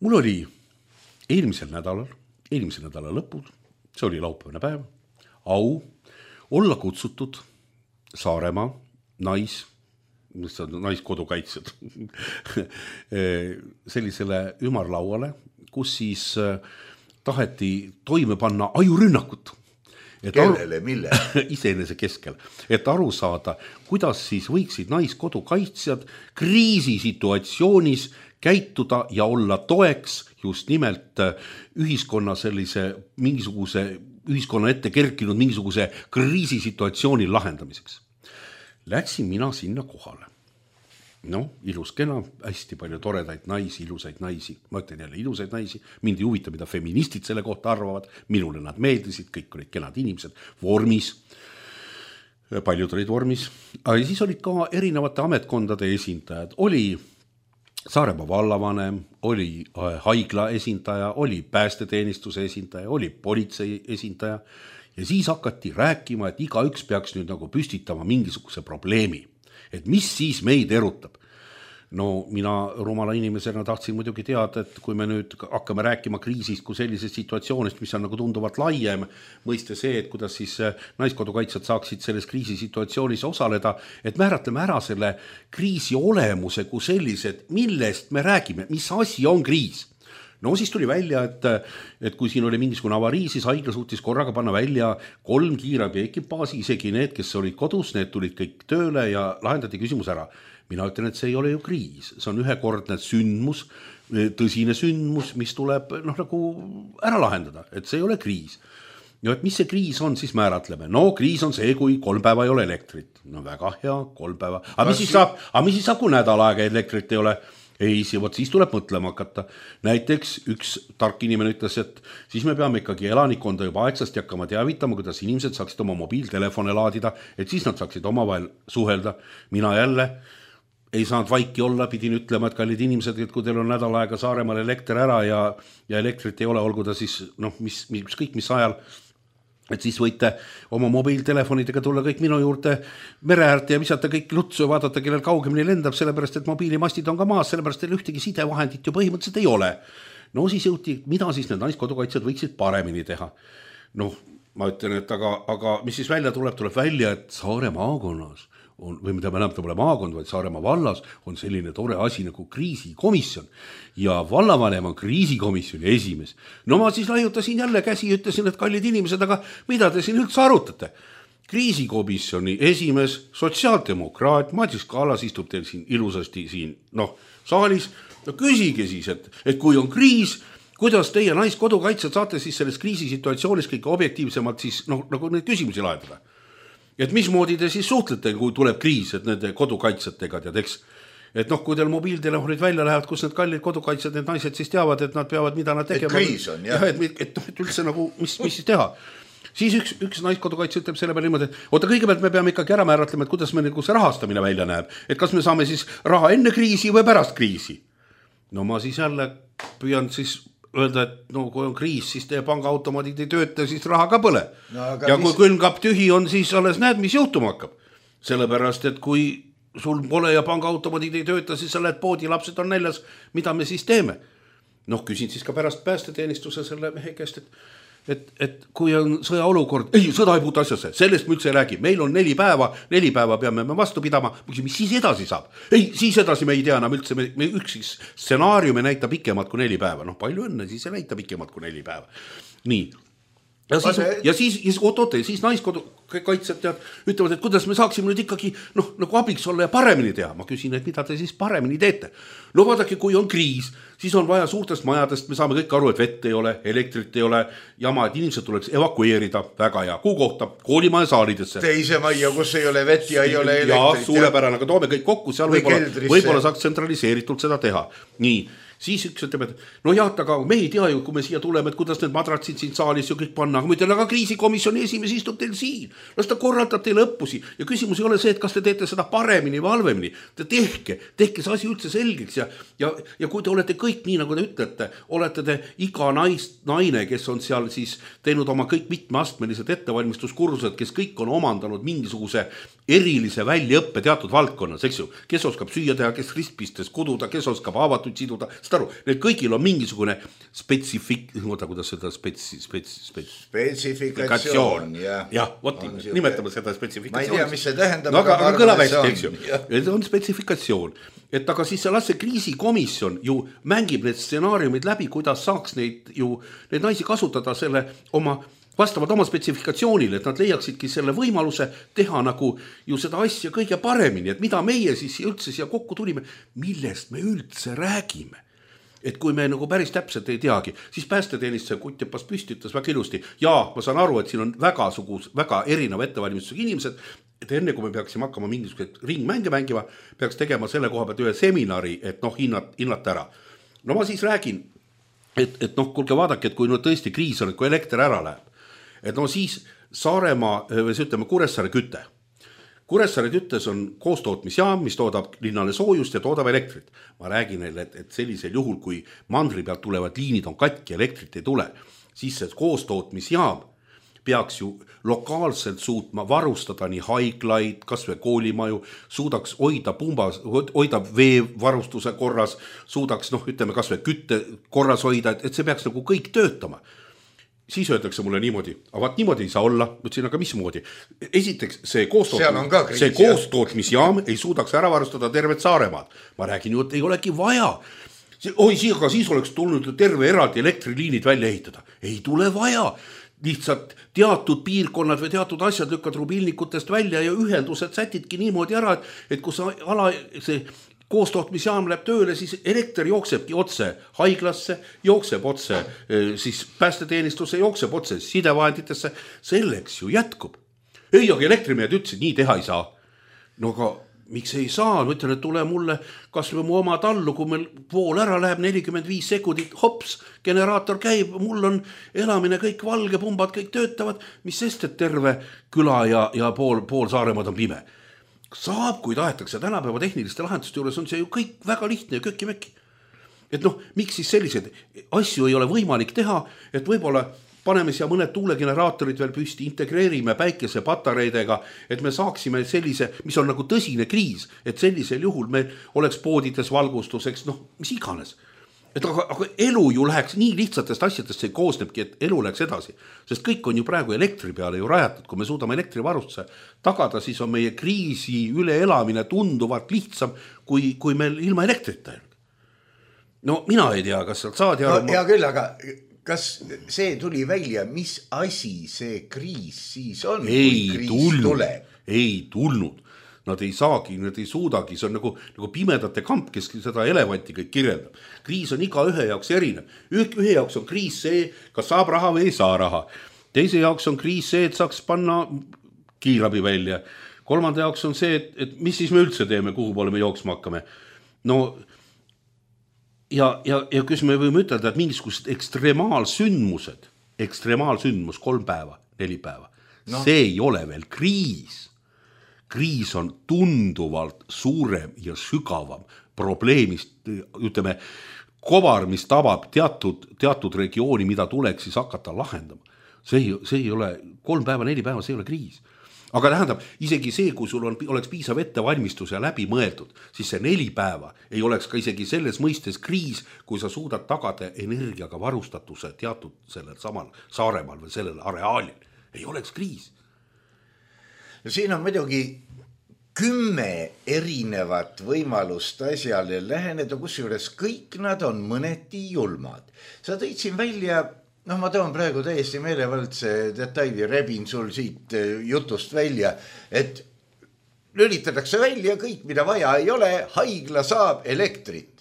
S4: Mul oli eelmisel nädalal, eelmisel nädala lõpul, see oli laupäevane päev, au olla kutsutud Saaremaa nais, mis on naiskodukaitsjad, sellisele ümarlauale, kus siis taheti toime panna ajurünnakut. Et
S3: kellele, mille?
S4: Iseenese keskel, et aru saada, kuidas siis võiksid naiskodukaitsjad kriisisituatsioonis käituda ja olla toeks just nimelt ühiskonna sellise mingisuguse, ühiskonna ette kerkinud mingisuguse kriisisituatsiooni lahendamiseks. Läksin mina sinna kohale. No, ilus kena, hästi palju toredaid naisi, ilusaid naisi. Ma ütlen jälle ilusaid naisi. Mind ei huvita, mida feministid selle kohta arvavad. Minule nad meeldisid, kõik olid kenad inimesed. Vormis. Paljud olid vormis. Aga siis olid ka erinevate ametkondade esindajad. Oli Saaremaa vallavanem, oli haigla esindaja, oli päästeteenistuse esindaja, oli politsei esindaja. Ja siis hakati rääkima, et iga üks peaks nüüd nagu püstitama mingisuguse probleemi. Et mis siis meid erutab? No mina rumala inimesena tahtsin muidugi teada, et kui me nüüd hakkame rääkima kriisist kui sellisest situatsioonist, mis on nagu tunduvalt laiem, mõiste see, et kuidas siis naiskodukaitsjad saaksid selles kriisisituatsioonis osaleda, et määratleme ära selle kriisi olemuse kui sellised, millest me räägime, mis asi on kriis. No siis tuli välja, et, et kui siin oli mingisugune avarii, siis haigla suutis korraga panna välja kolm kiirabi ekipaasi, isegi need, kes olid kodus, need tulid kõik tööle ja lahendati küsimus ära. Mina ütlen, et see ei ole ju kriis, see on ühekordne sündmus, tõsine sündmus, mis tuleb noh, nagu ära lahendada, et see ei ole kriis. Ja et mis see kriis on, siis määratleme. No kriis on see, kui kolm päeva ei ole elektrit. No väga hea, kolm päeva. Aga mis siis saab, aga mis siis saab, kui nädal aega elektrit ei ole? Ei, võt, siis tuleb mõtlema hakata. Näiteks üks tark inimene ütles, et siis me peame ikkagi elanikkonda juba aegsasti hakkama teavitama, kuidas inimesed saaksid oma mobiiltelefone laadida, et siis nad saaksid omavahel suhelda. Mina jälle ei saanud vaiki olla, pidin ütlema, et kallid inimesed, et kui teil on nädal aega Saaremaal elekter ära ja, ja elektrit ei ole, olgu ta siis noh, mis, mis, kõik mis ajal, et siis võite oma mobiiltelefonidega tulla kõik minu juurde mere äärde ja visata kõik lutsu ja vaadata, kellel kaugemini lendab, sellepärast, et mobiilimastid on ka maas, sellepärast, et ühtegi sidevahendit ju põhimõtteliselt ei ole. No siis jõuti, mida siis need naiskodukaitsjad võiksid paremini teha. Noh, ma ütlen, et aga, aga mis siis välja tuleb, tuleb välja, et Saare maakonnas on, või mida me näeme, ta pole maakond, vaid Saaremaa vallas on selline tore asi nagu kriisikomisjon ja vallavanem on kriisikomisjoni esimees. No ma siis laiutasin jälle käsi ja ütlesin, et kallid inimesed, aga mida te siin üldse arutate? Kriisikomisjoni esimees, sotsiaaldemokraat, Madis Kallas istub teil siin ilusasti siin noh, saalis. No küsige siis, et, et kui on kriis, kuidas teie naiskodukaitsjad saate siis selles kriisisituatsioonis kõik objektiivsemalt siis noh, nagu neid küsimusi lahendada? Et mismoodi te siis suhtlete, kui tuleb kriis, et nende kodukaitsjatega tead, eks? Et noh, kui teil mobiiltelefonid välja lähevad, kus need kallid kodukaitsjad, need naised siis teavad, et nad peavad, mida nad tegema.
S3: Et kriis on, jah.
S4: Ja, et, et, et üldse nagu, mis, mis siis teha? Siis üks, üks naiskodukaitsja ütleb selle peale niimoodi, et oota, kõigepealt me peame ikkagi ära määratlema, et kuidas me nagu see rahastamine välja näeb. Et kas me saame siis raha enne kriisi või pärast kriisi? No ma siis jälle püüan siis öelda, et no kui on kriis, siis teie pangaautomaadid ei tööta, siis raha ka põle. No, ja mis... kui külmkapp tühi on, siis alles näed, mis juhtuma hakkab. Sellepärast, et kui sul pole ja pangaautomaadid ei tööta, siis sa lähed poodi, lapsed on näljas, mida me siis teeme? Noh, küsin siis ka pärast päästeteenistuse selle mehe käest, et Et, et kui on sõjaolukord, ei, sõda ei puutu asjasse, sellest me üldse ei räägi, meil on neli päeva, neli päeva peame me vastu pidama, mis siis edasi saab? Ei, siis edasi me ei tea enam üldse, me, me üks stsenaariumi näita pikemalt kui neli päeva, noh palju õnne, siis ei näita pikemalt kui neli päeva. Nii, ja siis, ja siis, ja siis, oot, oot, siis naiskodukaitsjad tead, ütlevad, et kuidas me saaksime nüüd ikkagi noh, nagu abiks olla ja paremini teha. Ma küsin, et mida te siis paremini teete? No vaadake, kui on kriis, siis on vaja suurtest majadest, me saame kõik aru, et vett ei ole, elektrit ei ole, jama, et inimesed tuleks evakueerida väga hea kuu kohta, koolimaja saalidesse.
S3: Teise majja, kus ei ole vett ja ei ole elektrit.
S4: Ja suurepärane, aga toome kõik kokku, seal võib-olla, võib-olla saaks tsentraliseeritult seda teha. Nii, siis üks ütleb, et no jah, aga me ei tea ju, kui me siia tuleme, et kuidas need madratsid siin saalis ju kõik panna, aga ma ütlen, aga kriisikomisjoni esimees istub teil siin, las ta korraldab teile õppusi ja küsimus ei ole see, et kas te teete seda paremini või halvemini, te tehke, tehke see asi üldse selgeks ja, ja, ja kui te olete kõik nii, nagu te ütlete, olete te iga naist, naine, kes on seal siis teinud oma kõik mitmeastmelised ettevalmistuskursused, kes kõik on omandanud mingisuguse erilise väljaõppe teatud valdkonnas, eks ju, kes oskab süüa teha, kes ristpistes kududa, kes oskab haavatud siduda, seda aru, neil kõigil on mingisugune spetsifik-, oota, kuidas seda spetsi, spetsi, spetsi,
S3: spetsifikatsioon, jah.
S4: jah, vot nimetame seda spetsifikatsioon.
S3: Ma ei tea, mis see tähendab.
S4: No, aga, aga kõlab hästi, eks ju. Et on spetsifikatsioon. Et aga siis see las see kriisikomisjon ju mängib need stsenaariumid läbi, kuidas saaks neid ju, neid naisi kasutada selle oma vastavad oma spetsifikatsioonile, et nad leiaksidki selle võimaluse teha nagu ju seda asja kõige paremini, et mida meie siis üldse siia kokku tulime, millest me üldse räägime. Et kui me nagu päris täpselt ei teagi, siis päästeteenistuse Kutjepas püsti ütles väga ilusti, jaa, ma saan aru, et siin on väga sugus, väga erineva ettevalmistusega inimesed, et enne kui me peaksime hakkama mingisugused ringmänge mängima, peaks tegema selle koha pealt ühe seminari, et noh, hinnat, hinnata ära. No ma siis räägin, et, et noh, kuulge vaadake, et kui no tõesti kriis on, et kui elekter ära läheb, et no siis Saaremaa, või see ütleme Kuressaare küte. Kuressaare küttes on koostootmisjaam, mis toodab linnale soojust ja toodab elektrit. Ma räägin neile, et, et sellisel juhul, kui mandri pealt tulevad liinid on katki, elektrit ei tule, siis see koostootmisjaam peaks ju lokaalselt suutma varustada nii haiglaid, kas või koolimaju, suudaks hoida pumbas, hoida veevarustuse korras, suudaks, noh, ütleme, kas või kütte korras hoida, et, et see peaks nagu kõik töötama. Siis öeldakse mulle niimoodi, aga vaat niimoodi ei saa olla, mõtlesin, aga mismoodi. Esiteks, see, koostootmis, see koostootmisjaam ei suudaks ära varustada tervet Saaremaad. Ma räägin ju, et ei olegi vaja. Oi, aga siis oleks tulnud terve eraldi elektriliinid välja ehitada. Ei tule vaja. Lihtsalt teatud piirkonnad või teatud asjad lükkad rubilnikutest välja ja ühendused sätidki niimoodi ära, et kus ala, see koostootmisjaam läheb tööle, siis elekter jooksebki otse haiglasse, jookseb otse, siis päästeteenistuse jookseb otse sidevahenditesse, selleks ju jätkub. Ei, aga elektrimehed ütlesid, nii teha ei saa. No aga miks ei saa? Ma ütlen, et tule mulle kas või mu oma tallu, kui meil pool ära läheb nelikümmend viis sekundit, hops, generaator käib, mul on elamine kõik valge, pumbad kõik töötavad, mis sest, et terve küla ja, ja pool, pool Saaremaad on pime. Saab, kui tahetakse tänapäeva tehniliste lahenduste juures, on see ju kõik väga lihtne ja köki-möki. Et noh, miks siis sellised asju ei ole võimalik teha, et võib-olla paneme siia mõned tuulegeneraatorid veel püsti, integreerime päikesepatareidega, et me saaksime sellise, mis on nagu tõsine kriis, et sellisel juhul me oleks poodides valgustuseks, noh, mis iganes. Et aga, aga elu ju läheks nii lihtsatest asjadest, see koosnebki, et elu läheks edasi. Sest kõik on ju praegu elektri peale ju rajatud. Kui me suudame elektrivarustuse tagada, siis on meie kriisi üleelamine tunduvalt lihtsam, kui, kui meil ilma elektrita. No mina ei tea, kas sealt saad ja...
S3: No, hea küll, aga kas see tuli välja, mis asi see kriis siis on,
S4: ei
S3: kui kriis
S4: tulnud,
S3: tuleb?
S4: Ei tulnud. Nad ei saagi, nad ei suudagi, see on nagu, nagu pimedate kamp, kes seda elevanti kõik kirjeldab. Kriis on iga ühe jaoks erinev. Ühe jaoks on kriis see, kas saab raha või ei saa raha. Teise jaoks on kriis see, et saaks panna kiirabi välja. Kolmanda jaoks on see, et, et mis siis me üldse teeme, kuhu poole me jooksma hakkame. No ja, ja, ja kus me võime ütelda, et mingisugused ekstremaalsündmused, ekstremaalsündmus kolm päeva, neli päeva, no. See ei ole veel kriis. Kriis on tunduvalt suurem ja sügavam probleemist, ütleme, kobar, mis tabab teatud, teatud regiooni, mida tuleks siis hakata lahendama. See ei, see ei ole kolm päeva, neli päeva, see ei ole kriis. Aga tähendab, isegi see, kui sul on, oleks piisav ettevalmistus ja läbi mõeldud, siis see neli päeva ei oleks ka isegi selles mõistes kriis, kui sa suudad tagada energiaga varustatuse teatud sellel samal Saaremaal või sellel areaalil. Ei oleks kriis.
S3: Siin on muidugi kümme erinevat võimalust asjale läheneda, kusjuures kõik nad on mõneti julmad. Sa tõid siin välja, noh ma toon praegu täiesti meelevaldse detaili, rebin sul siit jutust välja, et lülitatakse välja kõik, mida vaja ei ole, haigla saab elektrit.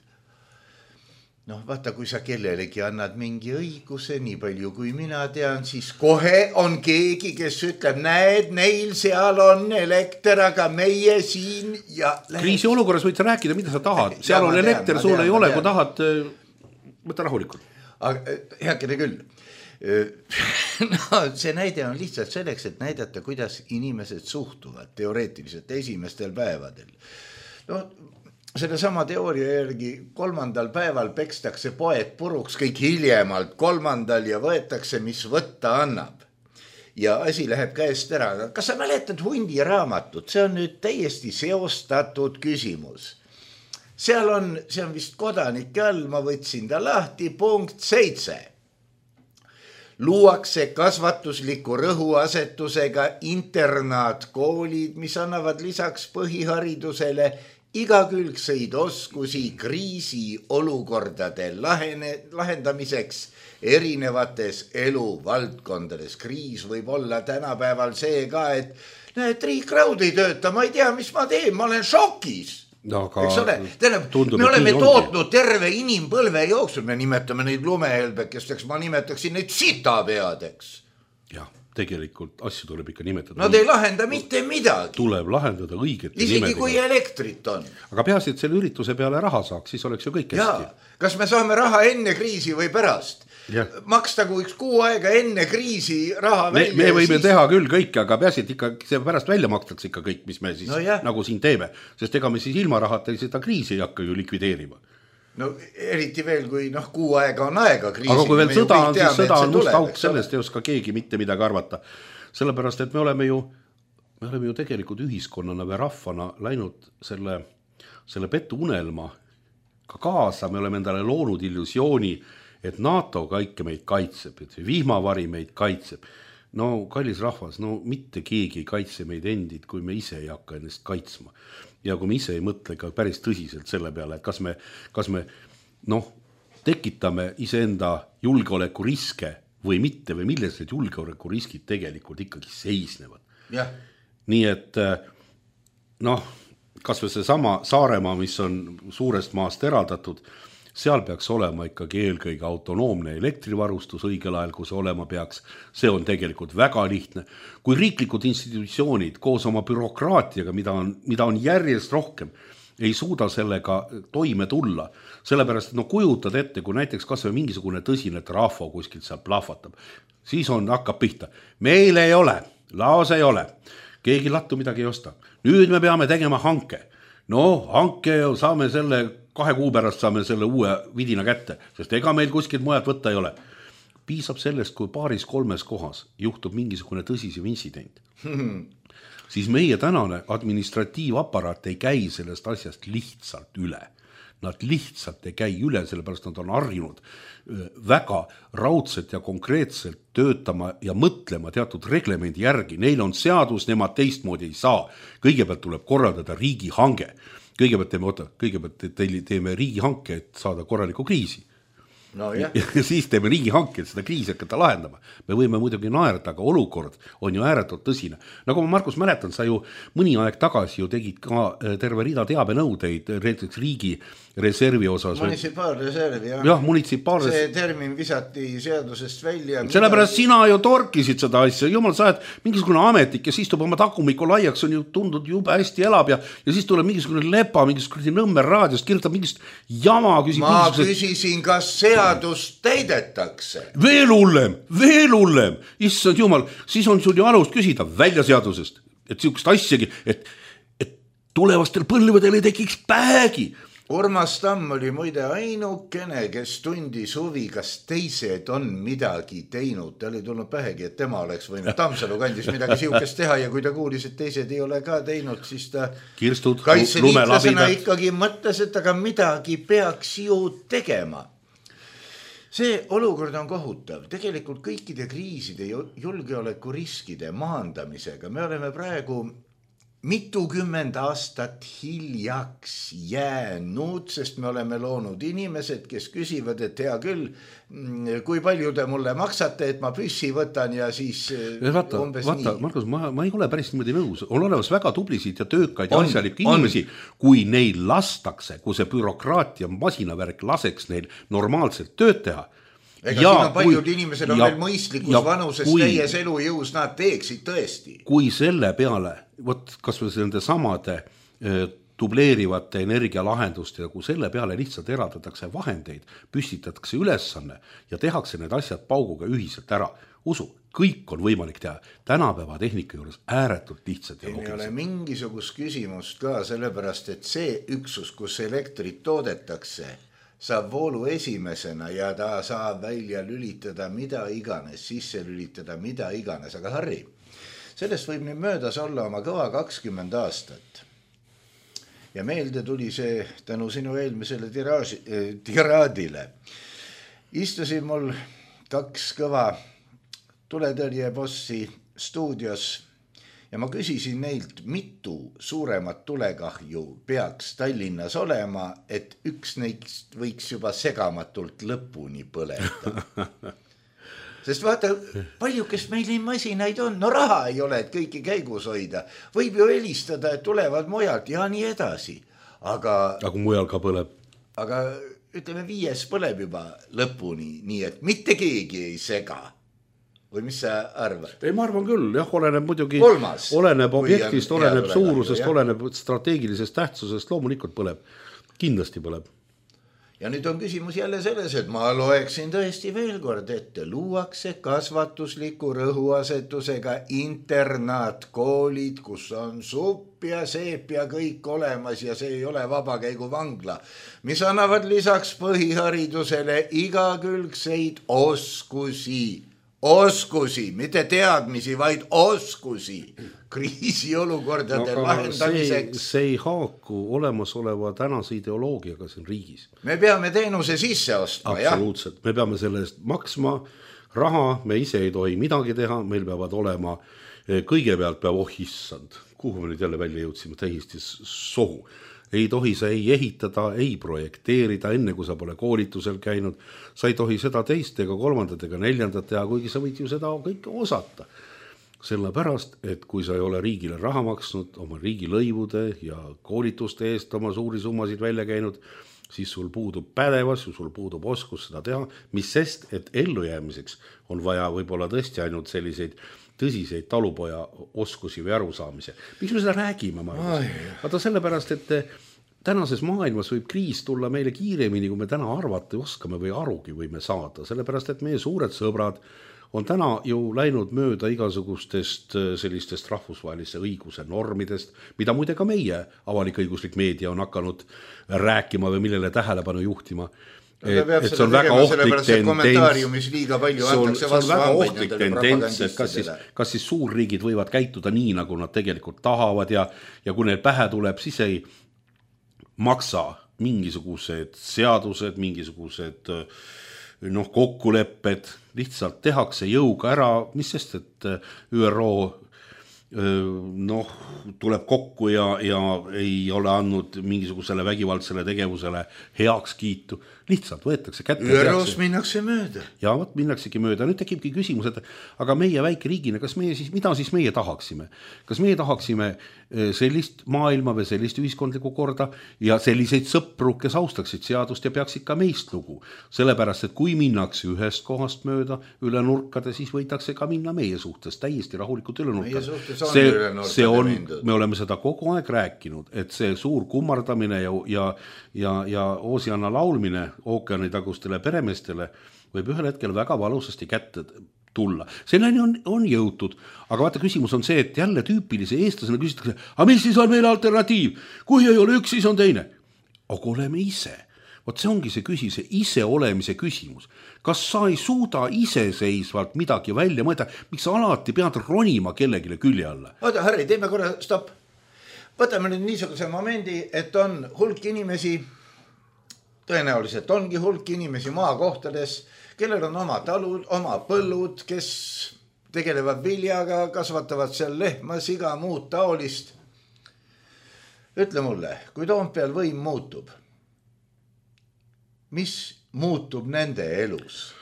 S3: Noh, vaata, kui sa kellelegi annad mingi õiguse, nii palju kui mina tean, siis kohe on keegi, kes ütleb, näed, neil seal on elekter, aga meie siin ja...
S4: Kriisi olukorras võid sa rääkida, mida sa tahad. Seal ja, on elekter, sul ei ole, kui tahad, võtta rahulikult.
S3: Aga heakene küll. No, see näide on lihtsalt selleks, et näidata, kuidas inimesed suhtuvad teoreetiliselt esimestel päevadel. No, selle sama teooria järgi kolmandal päeval pekstakse poed puruks kõik hiljemalt kolmandal ja võetakse, mis võtta annab. Ja asi läheb käest ära. Kas sa mäletad hundi raamatut? See on nüüd täiesti seostatud küsimus. seal on, see on vist kodanike all, ma võtsin ta lahti, punkt seitse. Luuakse kasvatusliku rõhuasetusega internaatkoolid, mis annavad lisaks põhiharidusele igakülgseid oskusi kriisi olukordade lahene, lahendamiseks erinevates eluvaldkondades. Kriis võib olla tänapäeval see ka, et näed, riik raud ei tööta, ma ei tea, mis ma teen, ma olen šokis. No, eks ole, tähendab, me oleme tootnud terve inimpõlve jooksul, me nimetame neid lumehelbekesteks, ma nimetaksin neid sitapeadeks.
S4: Jah, tegelikult asju tuleb ikka nimetada.
S3: Nad ei lahenda mitte midagi.
S4: Tuleb lahendada õigete
S3: isegi
S4: nimedega.
S3: Kui elektrit on.
S4: Aga peaasi, et selle ürituse peale raha saaks, siis oleks ju kõik hästi.
S3: Ja, kas me saame raha enne kriisi või pärast? Ja. Makstagu üks kuu aega enne kriisi raha
S4: me,
S3: välja.
S4: Me võime siis... teha küll kõike, aga peaasi, et ikka see pärast välja makstakse ikka kõik, mis me siis no nagu siin teeme. Sest ega me siis ilma rahata seda kriisi ei hakka ju likvideerima.
S3: No eriti veel, kui noh, kuu aega on aega kriisi.
S4: Aga kui veel sõda on, siis sõda on must auk, sellest ei oska keegi mitte midagi arvata. Sellepärast, et me oleme ju, me oleme ju tegelikult ühiskonnana või rahvana läinud selle, selle petu unelma ka kaasa. Me oleme endale loonud illusiooni, et NATO kõike meid kaitseb, et vihmavari meid kaitseb. No kallis rahvas, no mitte keegi ei kaitse meid endid, kui me ise ei hakka ennast kaitsma. Ja kui me ise ei mõtle ka päris tõsiselt selle peale, et kas me, kas me noh, tekitame iseenda julgeolekuriske või mitte, või milles need julgeolekuriskid tegelikult ikkagi seisnevad.
S3: Ja.
S4: Nii et noh, kas või see sama Saaremaa, mis on suurest maast eraldatud, seal peaks olema ikkagi eelkõige autonoomne elektrivarustus õigel ajal, kui see olema peaks. See on tegelikult väga lihtne. Kui riiklikud institutsioonid koos oma bürokraatiaga, mida on, mida on järjest rohkem, ei suuda sellega toime tulla, sellepärast, et no kujutad ette, kui näiteks kas või mingisugune tõsine trafo kuskilt seal plahvatab, siis on, hakkab pihta. Meil ei ole, laos ei ole, keegi lattu midagi ei osta. Nüüd me peame tegema hanke. No, hanke saame selle kahe kuu pärast saame selle uue vidina kätte, sest ega meil kuskilt mujalt võtta ei ole. Piisab sellest, kui paaris kolmes kohas juhtub mingisugune tõsisem intsident. Siis meie tänane administratiivaparaat ei käi sellest asjast lihtsalt üle. Nad lihtsalt ei käi üle, sellepärast nad on harjunud väga raudselt ja konkreetselt töötama ja mõtlema teatud reglemendi järgi. Neil on seadus, nemad teistmoodi ei saa. Kõigepealt tuleb korraldada riigi hange. Kõigepealt teeme, oota, kõigepealt teeme riigi hanke, et saada korraliku kriisi.
S3: No, jah.
S4: Ja siis teeme riigi hanke, et seda kriisi hakata lahendama. Me võime muidugi naerda, aga olukord on ju ääretult tõsine. Nagu ma, Markus, mäletan, sa ju mõni aeg tagasi ju tegid ka terve rida teabenõudeid näiteks riigi reservi osas.
S3: Munitsipaalreservi, jah.
S4: jah munitsipaalres...
S3: See termin visati seadusest välja.
S4: Sellepärast mida... sina ju torkisid seda asja. Jumal, sa oled mingisugune ametnik, kes istub oma takumiku laiaks, on ju tundud jube hästi elab ja, ja siis tuleb mingisugune lepa, mingisugune Nõmme raadiost, kirjutab mingist jama. Küsib,
S3: ma küsisin, kas seadust täidetakse.
S4: Veel hullem, veel hullem. Issand jumal, siis on sul ju alust küsida välja seadusest. Et siukest asjagi, et, et tulevastel põlvedel ei tekiks päegi.
S3: Urmas Tamm oli muide ainukene, kes tundis huvi, kas teised on midagi teinud. Ta oli tulnud pähegi, et tema oleks võinud Tammsalu kandis midagi siukest teha ja kui ta kuulis, et teised ei ole ka teinud, siis ta
S4: Kirstud,
S3: kaitseliitlasena ikkagi mõtles, et aga midagi peaks ju tegema. See olukord on kohutav. Tegelikult kõikide kriiside julgeolekuriskide maandamisega me oleme praegu mitukümmend aastat hiljaks jäänud, sest me oleme loonud inimesed, kes küsivad, et hea küll, kui palju te mulle maksate, et ma püssi võtan ja siis
S4: vaata,
S3: umbes
S4: vaata,
S3: nii.
S4: Markus, ma, ma ei ole päris niimoodi nõus. On olemas väga tublisid ja töökaid ja asjalikke inimesi, kui neil lastakse, kui see bürokraatia masinavärk laseks neil normaalselt tööd teha.
S3: Ega ja, siin on paljud kui, inimesed on ja, veel mõistlikus ja, vanuses kui, täies elujõus, nad teeksid tõesti.
S4: Kui selle peale, võt, kas või nende samade e, dubleerivate energialahenduste ja kui selle peale lihtsalt eraldatakse vahendeid, püstitatakse ülesanne ja tehakse need asjad pauguga ühiselt ära. Usu, kõik on võimalik teha. Tänapäeva tehnika juures ääretult lihtsalt.
S3: Ei ole mingisugust küsimust ka, sellepärast et see üksus, kus elektrit toodetakse, saab voolu esimesena ja ta saab välja lülitada mida iganes, sisse lülitada mida iganes. Aga Harri, sellest võib nüüd möödas olla oma kõva kakskümmend aastat. ja meelde tuli see tänu sinu eelmisele tiraaži, tiraadile. Istusin mul kaks kõva tuletõrjebossi stuudios ja ma küsisin neilt, mitu suuremat tulekahju peaks Tallinnas olema, et üks neist võiks juba segamatult lõpuni põleda. Sest vaata, palju, kes meil nii masinaid on, no raha ei ole, et kõiki käigus hoida. Võib ju helistada, et tulevad mujalt ja nii edasi. Aga,
S4: aga mujal ka põleb.
S3: Aga ütleme, viies põleb juba lõpuni, nii et mitte keegi ei sega. Või mis sa arvad?
S4: Ei, ma arvan küll, jah, oleneb muidugi,
S3: Kolmas,
S4: oleneb objektist, oleneb
S3: hea,
S4: suurusest,
S3: jah.
S4: oleneb strateegilisest tähtsusest, loomulikult põleb, kindlasti põleb.
S3: Ja nüüd on küsimus jälle selles, et ma loeksin tõesti veel kord ette, luuakse kasvatusliku rõhuasetusega internaatkoolid, kus on supp ja seep ja kõik olemas ja see ei ole vabakäigu vangla, mis annavad lisaks põhiharidusele igakülgseid oskusi. Oskusi, mitte teadmisi, vaid oskusi kriisiolukordade no, lahendamiseks.
S4: See, see ei haaku olemasoleva tänase ideoloogiaga siin riigis.
S3: Me peame teenuse sisse ostma, jah?
S4: Absoluutselt, me peame selle eest maksma raha, me ise ei tohi midagi teha, meil peavad olema, kõigepealt peab, oh issand, kuhu me nüüd jälle välja jõudsime, täiesti sohu. Ei tohi sa ei ehitada, ei projekteerida, enne kui sa pole koolitusel käinud. Sa ei tohi seda teist ega kolmandat ega neljandat teha, kuigi sa võid ju seda kõike osata. Sellepärast, et kui sa ei ole riigile raha maksnud, oma riigilõivude ja koolituste eest oma suuri summasid välja käinud, siis sul puudub pädevas, sul puudub oskus seda teha, mis sest, et ellujäämiseks on vaja võib-olla tõesti ainult selliseid tõsiseid talupoja oskusi või arusaamise. Miks me seda räägime? Vaata sellepärast, et tänases maailmas võib kriis tulla meile kiiremini, kui me täna arvata oskame või arugi võime saada. Sellepärast, et meie suured sõbrad on täna ju läinud mööda igasugustest sellistest rahvusvahelise õiguse normidest, mida muide ka meie avalik-õiguslik meedia on hakanud rääkima või millele tähelepanu juhtima.
S3: Et, et see on väga ohtlik tendents, see on, see on väga ohtlik
S4: tendents, et kas siis, kas siis suurriigid võivad käituda nii, nagu nad tegelikult tahavad ja, ja kui neil pähe tuleb, siis ei maksa mingisugused seadused, mingisugused noh, kokkulepped, lihtsalt tehakse jõuga ära, mis sest, et Ü R O noh, tuleb kokku ja, ja ei ole andnud mingisugusele vägivaldsele tegevusele heaks kiitu. Lihtsalt võetakse kätte.
S3: Ü R O-s minnakse mööda.
S4: Ja võt minnaksegi mööda. Nüüd tekibki küsimus, et aga meie väike riigina, kas meie siis, mida siis meie tahaksime? Kas meie tahaksime sellist maailma või sellist ühiskondlikku korda ja selliseid sõpru, kes austaksid seadust ja peaksid ka meist lugu. Sellepärast, et kui minnakse ühest kohast mööda üle nurkade, siis võidakse ka minna meie suhtes täiesti rahulikult üle nurkade. See, see on, me oleme seda kogu aeg rääkinud, et see suur kummardamine ja, ja, ja, ja Oosianna laulmine ookeanitagustele peremeestele võib ühel hetkel väga valusasti kätte tulla. Selleni on, on jõutud, aga vaata küsimus on see, et jälle tüüpilise eestlasena küsitakse, aga mis siis on meil alternatiiv? Kui ei ole üks, siis on teine. Aga oleme ise. Vot see ongi see küsi, see ise olemise küsimus. Kas sa ei suuda iseseisvalt midagi välja mõelda, miks sa alati pead ronima kellegile külje alla?
S3: Oota, Harri, teeme korra, stopp. Võtame nüüd niisuguse momendi, et on hulk inimesi, tõenäoliselt ongi hulk inimesi maakohtades, kellel on oma talud, oma põllud, kes tegelevad viljaga, kasvatavad seal lehma, siga, muud taolist. Ütle mulle, kui Toompeal võim muutub, mis muutub nende elus?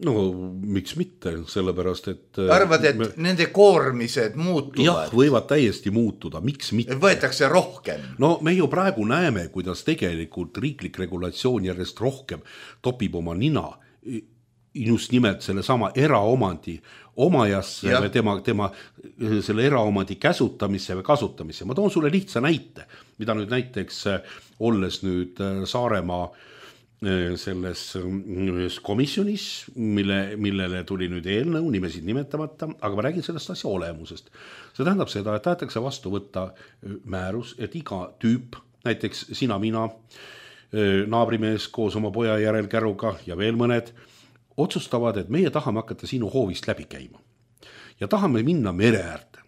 S4: No miks mitte, sellepärast, et
S3: arvad, et me... nende koormised muutuvad?
S4: Jah, võivad täiesti muutuda, miks mitte?
S3: Võetakse rohkem.
S4: No me ju praegu näeme, kuidas tegelikult riiklik regulatsioon järjest rohkem topib oma nina just nimelt selle sama eraomandi omajasse või tema, tema selle eraomandi käsutamisse või kasutamisse. Ma toon sulle lihtsa näite, mida nüüd näiteks olles nüüd Saaremaa selles ühes komisjonis, mille, millele tuli nüüd eelnõu, nimesid nimetamata, aga ma räägin sellest asja olemusest. See tähendab seda, et tahetakse vastu võtta määrus, et iga tüüp, näiteks sina, mina, naabrimees koos oma poja järel käruga ja veel mõned, otsustavad, et meie tahame hakata sinu hoovist läbi käima. Ja tahame minna mere äärde.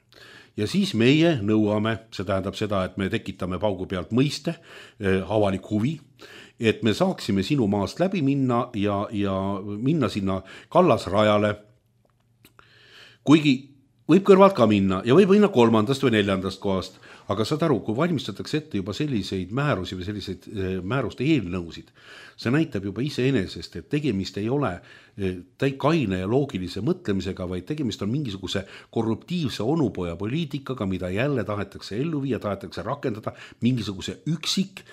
S4: ja siis meie nõuame, see tähendab seda, et me tekitame paugu pealt mõiste, avalik huvi, et me saaksime sinu maast läbi minna ja, ja minna sinna kallasrajale, kuigi võib kõrvalt ka minna ja võib minna kolmandast või neljandast kohast, aga saad aru, kui valmistatakse ette juba selliseid määrusi või selliseid määruste eelnõusid, see näitab juba iseenesest, et tegemist ei ole kaine ja loogilise mõtlemisega, vaid tegemist on mingisuguse korruptiivse onupoja poliitikaga, mida jälle tahetakse ellu viia, tahetakse rakendada mingisuguse üksik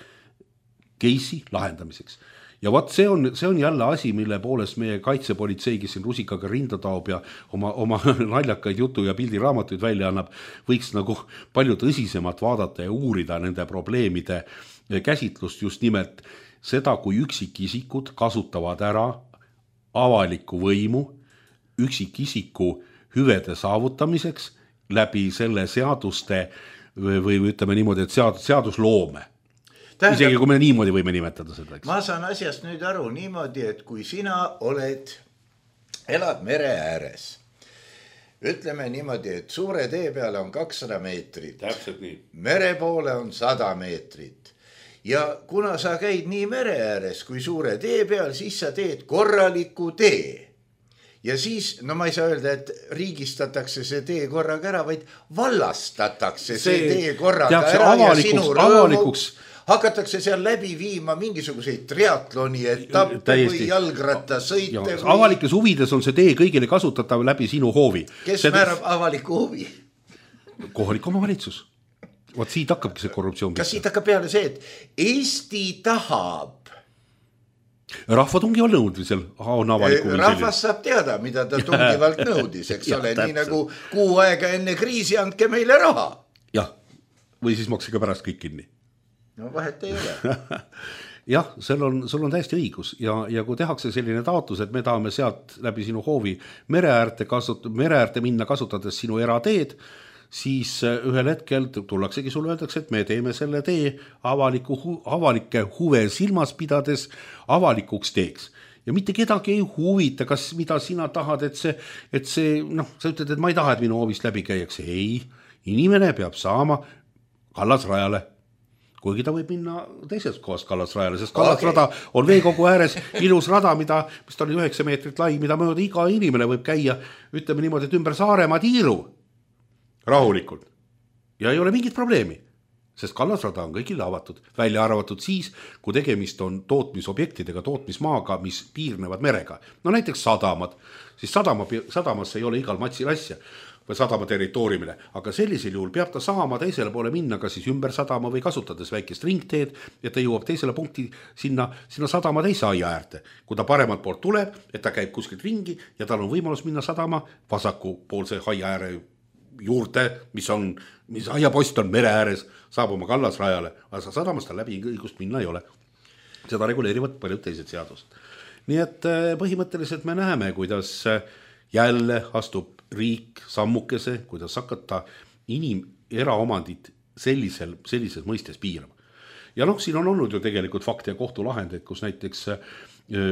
S4: case'i lahendamiseks. Ja vaat see on, see on jälle asi, mille poolest meie kaitsepolitsei, kes siin rusikaga rinda taob ja oma, oma naljakaid jutu ja pildiraamatuid välja annab, võiks nagu palju tõsisemalt vaadata ja uurida nende probleemide käsitlust, just nimelt seda, kui üksikisikud kasutavad ära avalikku võimu üksikisiku hüvede saavutamiseks läbi selle seaduste või, või ütleme niimoodi, et sead, seadusloome. Tähendab, isegi kui me niimoodi võime nimetada seda. Eks?
S3: Ma saan asjast nüüd aru niimoodi, et kui sina oled, elad mere ääres, ütleme niimoodi, et suure tee peale on kakssada meetrit.
S4: Täpselt nii.
S3: Mere poole on sada meetrit. Ja kuna sa käid nii mere ääres kui suure tee peal, siis sa teed korraliku tee. Ja siis, no ma ei saa öelda, et riigistatakse see tee korraga ära, vaid vallastatakse see, see tee korraga ära ja sinu rõõmuks hakatakse seal läbi viima mingisuguseid triatloni etappe Täiesti. Või jalgratta sõite. Ja, või...
S4: Avalikes huvides on see tee kõigile kasutatav läbi sinu hoovi.
S3: Kes
S4: see...
S3: määrab avaliku huvi?
S4: Kohalik omavalitsus. Vaat siit hakkabki see korruptsioon.
S3: Kas siit hakkab peale see, et Eesti tahab?
S4: Rahvatungival nõudmisel on avaliku huvi.
S3: Rahvas saab teada, mida ta tungivalt nõudis, eks ja, ole, täpselt. Nii nagu kuu aega enne kriisi andke meile raha.
S4: Jah, või siis maksige pärast kõik kinni.
S3: No vahet ei ole.
S4: Jah, sul on, sul on täiesti õigus ja, ja kui tehakse selline taotlus, et me tahame sealt läbi sinu hoovi mereäärte, kasut- mereäärte minna kasutades sinu erateed, siis ühel hetkel tullaksegi sulle öeldakse, et me teeme selle tee avaliku, avalike huve silmas pidades avalikuks teeks. Ja mitte kedagi ei huvita, kas mida sina tahad, et see, et see noh, sa ütled, et ma ei taha, et minu hoovist läbi käiakse. Ei, inimene peab saama kallasrajale. Kuigi ta võib minna teisest kohast kallasrajale, sest kallasrada okay. on veekogu ääres ilus rada, mida, mis ta oli üheksa meetrit lai, mida mööda iga inimene võib käia, ütleme niimoodi, et ümber Saaremaa tiiru rahulikult. Ja ei ole mingit probleemi, sest kallasrada on kõigile avatud, välja arvatud siis, kui tegemist on tootmisobjektidega, tootmismaaga, mis piirnevad merega. No näiteks sadamad, siis sadama, sadamasse ei ole igal matsil asja või sadama territooriumile, aga sellisel juhul peab ta saama teisele poole minna, kas siis ümber sadama või kasutades väikest ringteed, ja ta jõuab teisele punkti sinna, sinna sadama teise aia äärte. Kui ta paremalt poolt tuleb, et ta käib kuskilt ringi ja tal on võimalus minna sadama vasaku poolse aia ääre juurde, mis on, mis aiapost on mere ääres, saab oma kallasrajale, aga sadamast ta läbi õigust minna ei ole. Seda reguleerivad paljud teised seadused. Nii et põhimõtteliselt me näeme, kuidas jälle astub riik sammukese, kuidas hakata inim eraomandit sellisel, sellises mõistes piirama. Ja noh, siin on olnud ju tegelikult fakti ja kohtulahendeid, kus näiteks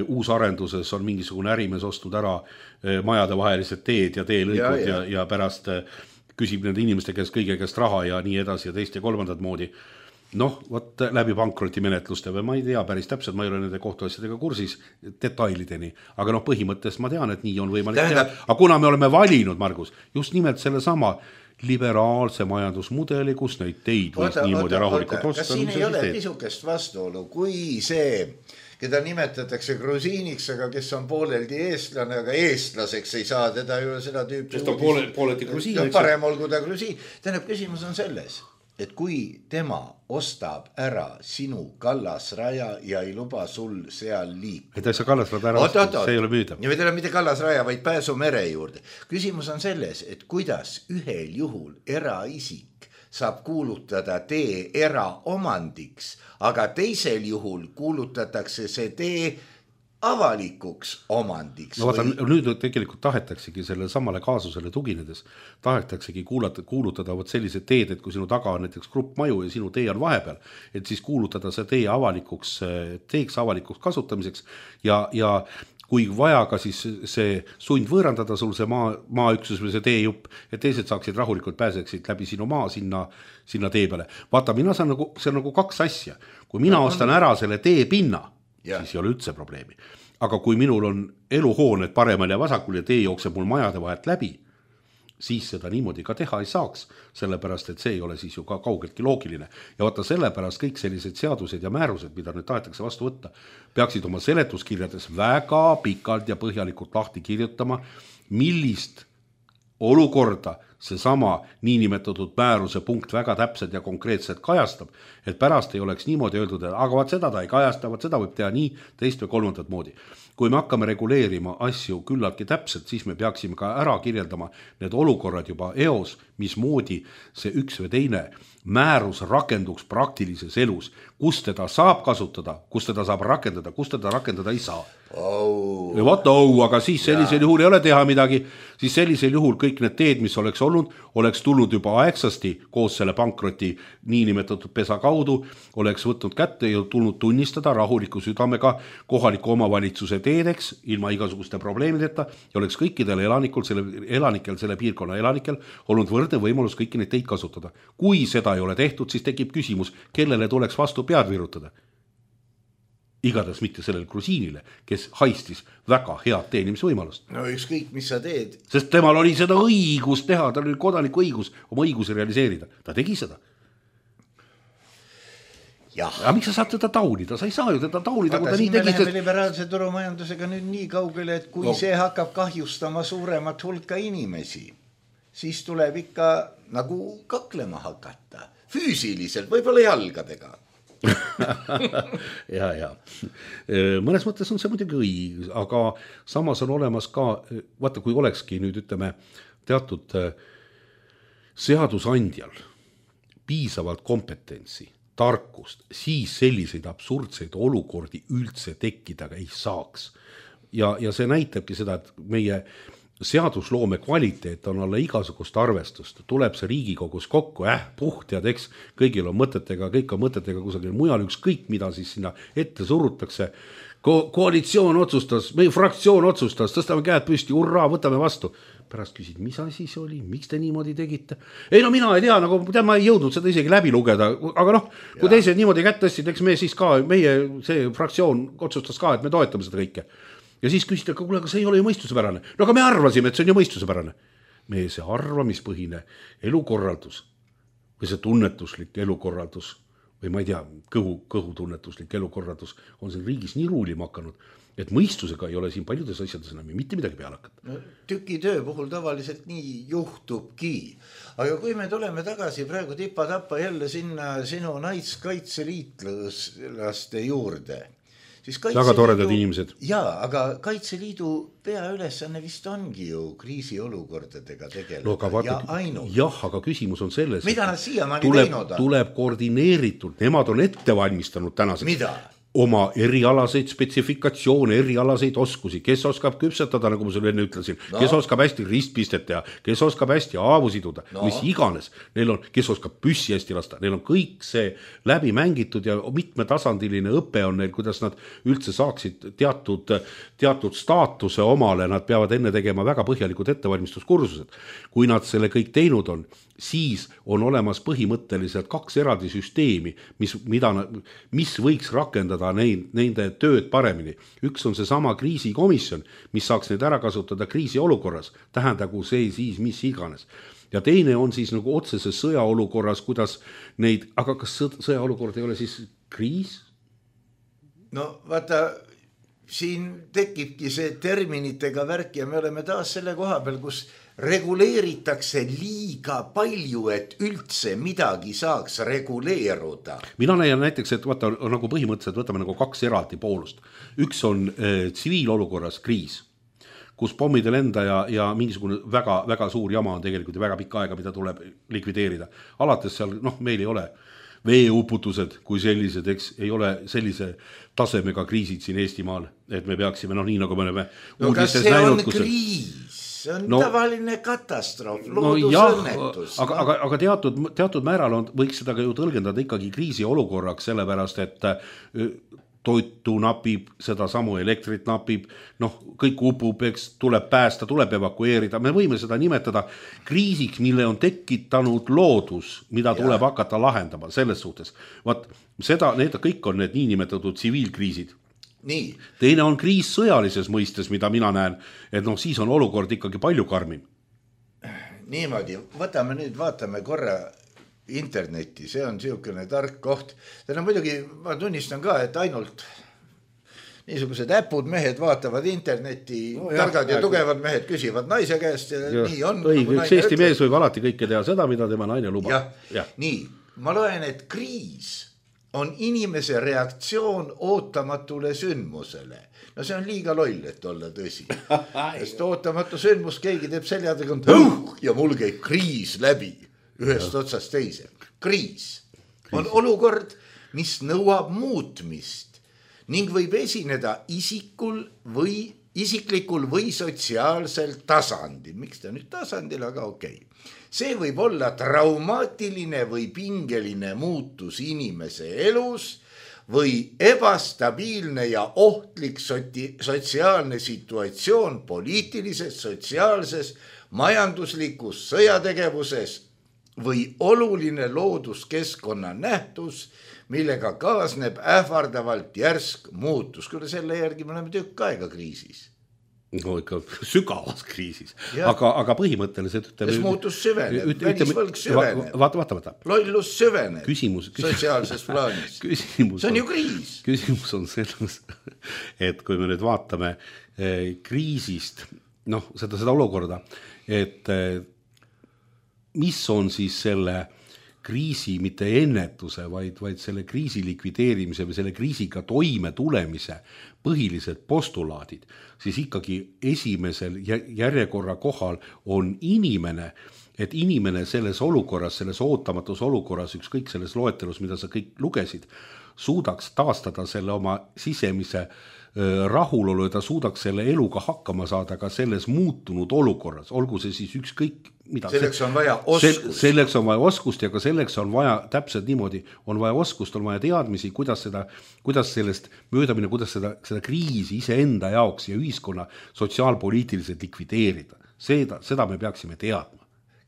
S4: uusarenduses on mingisugune ärimees ostud ära majade vahelised teed ja teelõikud ja, ja. Ja, ja pärast küsib nende inimeste käest kõige käest raha ja nii edasi ja teist ja kolmandat moodi. Noh, võt läbi pankrotimenetluste või ma ei tea päris täpselt, ma ei ole nende kohtuasjadega kursis detailideni, aga noh, põhimõttes ma tean, et nii on võimalik teha. Aga kuna me oleme valinud, Margus, just nimelt selle sama liberaalse majandusmudeli, kus neid teid võis oota, niimoodi oota, rahulikult osta.
S3: Kas siin ei ole pisukest vastuolu, kui see, keda nimetatakse grusiiniks, aga kes on pooleldi eestlane, aga eestlaseks ei saa teda ju seda tüüpi.
S4: Sest on poole, pooleldi grusiin.
S3: Parem olgu ta grusiin. Tähendab, küsimus on selles, et kui tema ostab ära sinu kallasraja ja ei luba sul seal liik.
S4: Et sa kallasrada ära
S3: oot,
S4: osta, see ei ole müüdav.
S3: Ja mitte, mitte kallasraja, vaid pääsu mere juurde. Küsimus on selles, et kuidas ühel juhul eraisik saab kuulutada tee eraomandiks, aga teisel juhul kuulutatakse see tee avalikuks omandiks.
S4: No vaata, või... nüüd tegelikult tahetaksegi selle samale kaasusele tuginedes, tahetaksegi kuulata, kuulutada võt sellised teed, et kui sinu taga on näiteks grupp maju ja sinu tee on vahepeal, et siis kuulutada see tee avalikuks, teeks avalikuks kasutamiseks ja, ja kui vaja ka siis see sund võõrandada sul see maa, maaüksus või see teejupp, et teised saaksid rahulikult pääseksid läbi sinu maa sinna, sinna tee peale. Vaata, mina saan nagu, see on nagu kaks asja. Kui mina ostan ära selle teepinna, yeah. siis ei ole üldse probleemi. Aga kui minul on eluhooned paremal ja vasakul ja tee jookseb mul majade vahelt läbi, siis seda niimoodi ka teha ei saaks, sellepärast, et see ei ole siis ju ka kaugeltki loogiline. Ja vaata sellepärast kõik sellised seadused ja määrused, mida nüüd tahetakse vastu võtta, peaksid oma seletuskirjades väga pikalt ja põhjalikult lahti kirjutama, millist olukorda seesama niinimetatud määruse punkt väga täpselt ja konkreetselt kajastab, et pärast ei oleks niimoodi öeldud, et aga vaat seda ta ei kajasta, vaat seda võib teha nii, teist või kolmandat moodi. Kui me hakkame reguleerima asju küllaltki täpselt, siis me peaksime ka ära kirjeldama need olukorrad juba eos, mismoodi see üks või teine määrus rakenduks praktilises elus, kus teda saab kasutada, kus teda saab rakendada, kus teda rakendada ei saa.
S3: Oh.
S4: Ja vaata, oh, aga siis sellisel ja. juhul ei ole teha midagi, siis sellisel juhul kõik need teed, mis oleks olnud, oleks tulnud juba aegsasti koos selle pankroti niinimetatud pesa kaudu, oleks võtnud kätte ja tulnud tunnistada rahuliku südamega kohaliku omavalitsuse teedeks ilma igasuguste probleemideta ja oleks kõikidel elanikel selle, elanikel, selle piirkonna elanikel olnud võrdne võimalus kõiki neid teid kasutada. Kui seda ei ole tehtud, siis tekib küsimus, kellele tuleks vastu pead virutada. Igatahes mitte sellele grusiinile, kes haistis väga head teenimisvõimalust.
S3: No ükskõik, mis sa teed.
S4: Sest temal oli seda õigus teha, tal oli kodaniku õigus oma õiguse realiseerida. Ta tegi seda.
S3: Jah.
S4: Ja miks sa saad teda taunida? Sa ei saa ju teda taunida,
S3: Vaata,
S4: kui ta nii tegi.
S3: Sest... liberaalse turumajandusega nüüd nii kaugele, et kui no. see hakkab kahjustama suuremat hulka inimesi, siis tuleb ikka nagu kaklema hakata. Füüsiliselt, võib-olla jalgadega.
S4: ja, ja. Mõnes mõttes on see muidugi õige, aga samas on olemas ka, vaata, kui olekski nüüd ütleme teatud seadusandjal piisavalt kompetentsi, tarkust, siis selliseid absurdseid olukordi üldse tekkida ei saaks. Ja, ja see näitabki seda, et meie seadusloome kvaliteet on alla igasugust arvestust, tuleb see Riigikogus kokku, äh, puht ja teks, kõigil on mõtetega, kõik on mõtetega kusagil mujal, ükskõik mida siis sinna ette surutakse. Ko- koalitsioon otsustas, meie fraktsioon otsustas, tõstame käed püsti, urraa, võtame vastu. Pärast küsid, mis asi see oli, miks te niimoodi tegite? Ei no mina ei tea, nagu tead, ma ei jõudnud seda isegi läbi lugeda, aga noh, kui ja. teised niimoodi kätt tõstsid, eks me siis ka, meie see fraktsioon otsustas ka, et me toetame seda kõike. Ja siis küsite, aga kuule, aga see ei ole ju mõistusepärane. No aga me arvasime, et see on ju mõistusepärane. Meie see arvamispõhine elukorraldus või see tunnetuslik elukorraldus või ma ei tea, kõhu, kõhutunnetuslik elukorraldus on siin riigis nii ruulima hakanud, et mõistusega ei ole siin paljudes asjades enam mitte midagi peale hakata.
S3: No, tükitöö puhul tavaliselt nii juhtubki. Aga kui me tuleme tagasi praegu tipa-tappa jälle sinna sinu naiskaitseliitlaste juurde,
S4: väga toredad inimesed.
S3: Jaa, aga Kaitseliidu peaülesanne vist ongi ju kriisiolukordadega tegeleda no, vaata, ja ainult.
S4: Jah, aga küsimus on selles,
S3: mida nad siiamaani
S4: tuleb,
S3: teinud on?
S4: Tuleb koordineeritult, nemad on ette valmistanud tänaseks.
S3: Mida?
S4: Oma erialaseid spetsifikatsioone, erialaseid oskusi, kes oskab küpsetada, nagu ma sulle enne ütlesin, no. kes oskab hästi ristpistet teha, kes oskab hästi aavu siduda, no. mis iganes, neil on, kes oskab püssi hästi lasta, neil on kõik see läbi mängitud ja mitmetasandiline õpe on neil, kuidas nad üldse saaksid teatud, teatud staatuse omale, nad peavad enne tegema väga põhjalikud ettevalmistuskursused. Kui nad selle kõik teinud on, siis on olemas põhimõtteliselt kaks eraldi süsteemi, mis, mida, mis võiks rakendada neid, nende tööd paremini. Üks on see sama kriisikomisjon, mis saaks neid ära kasutada kriisiolukorras, tähendagu see siis mis iganes. Ja teine on siis nagu otseses sõjaolukorras, kuidas neid, aga kas sõjaolukord ei ole siis kriis?
S3: No vaata, siin tekibki see terminitega värk ja me oleme taas selle koha peal, kus reguleeritakse liiga palju, et üldse midagi saaks reguleeruda.
S4: Mina näen näiteks, et vaata, nagu põhimõtteliselt võtame nagu kaks eraldi poolust. Üks on äh, tsiviilolukorras kriis, kus pommide lenda ja, ja mingisugune väga, väga suur jama on tegelikult ja väga pikka aega, mida tuleb likvideerida. Alates seal, noh, meil ei ole veeuputused kui sellised, eks ei ole sellise tasemega kriisid siin Eestimaal, et me peaksime, noh, nii nagu me oleme
S3: no, uudistes näinud. Kas see on kriis? See on no, tavaline katastroof, loodusõnnetus.
S4: No, aga, aga, aga teatud, teatud määral on, võiks seda ka ju tõlgendada ikkagi kriisiolukorraks, sellepärast, et toitu napib, seda samu elektrit napib, noh, kõik upub, eks tuleb päästa, tuleb evakueerida, me võime seda nimetada kriisiks, mille on tekitanud loodus, mida tuleb ja. hakata lahendama selles suhtes. Vaat seda, need kõik on need niinimetatud tsiviilkriisid.
S3: Nii.
S4: Teine on kriis sõjalises mõistes, mida mina näen, et noh, siis on olukord ikkagi palju karmim.
S3: Niimoodi, võtame nüüd, vaatame korra internetti, see on siukene tark koht. Täna muidugi ma tunnistan ka, et ainult niisugused äpud mehed vaatavad internetti, no, targad jah, ja tugevad mehed küsivad naise käest ja, ja nii on.
S4: Õige, üks Eesti ütleb. Mees võib alati kõike teha seda, mida tema naine lubab.
S3: Ja, ja. Nii, ma loen, et kriis on inimese reaktsioon ootamatule sündmusele. No see on liiga loll, et olla tõsi. Sest ootamatu sündmus, keegi teeb seljadega ja mul käib kriis läbi. Ühest otsast teise. Kriis on olukord, mis nõuab muutmist ning võib esineda isikul või isiklikul või sotsiaalsel tasandil. Miks ta nüüd tasandil, aga okei. Okay. See võib olla traumaatiline või pingeline muutus inimese elus või ebastabiilne ja ohtlik sotsiaalne situatsioon poliitilises, sotsiaalses, majanduslikus sõjategevuses või oluline looduskeskkonna nähtus, millega kaasneb ähvardavalt järsk muutus. Küll selle järgi me oleme tükk aega kriisis.
S4: No ikka sügavas kriisis, aga, aga põhimõtteliselt ütleme,
S3: kes muutus süveneb, välisvõlg süveneb,
S4: vaata, vaata, vaata.
S3: lollus süveneb
S4: küsimus, küsimus,
S3: sotsiaalses plaanis.
S4: Küsimus
S3: see on ju kriis.
S4: Küsimus on selles, et kui me nüüd vaatame eh, kriisist, noh, seda, seda olukorda, et eh, mis on siis selle kriisi mitte ennetuse, vaid, vaid selle kriisi likvideerimise või selle kriisiga toime tulemise põhilised postulaadid, siis ikkagi esimesel järjekorra kohal on inimene, et inimene selles olukorras, selles ootamatus olukorras, ükskõik selles loetelus, mida sa kõik lugesid, suudaks taastada selle oma sisemise rahulolu ja ta suudaks selle eluga hakkama saada ka selles muutunud olukorras, olgu see siis ükskõik mida.
S3: Selleks on vaja oskust.
S4: Selleks on vaja oskust ja ka selleks on vaja täpselt niimoodi, on vaja oskust, on vaja teadmisi, kuidas seda, kuidas sellest möödamine, kuidas seda, seda kriisi iseenda jaoks ja ühiskonna sotsiaalpoliitiliselt likvideerida. Seda, seda me peaksime teadma.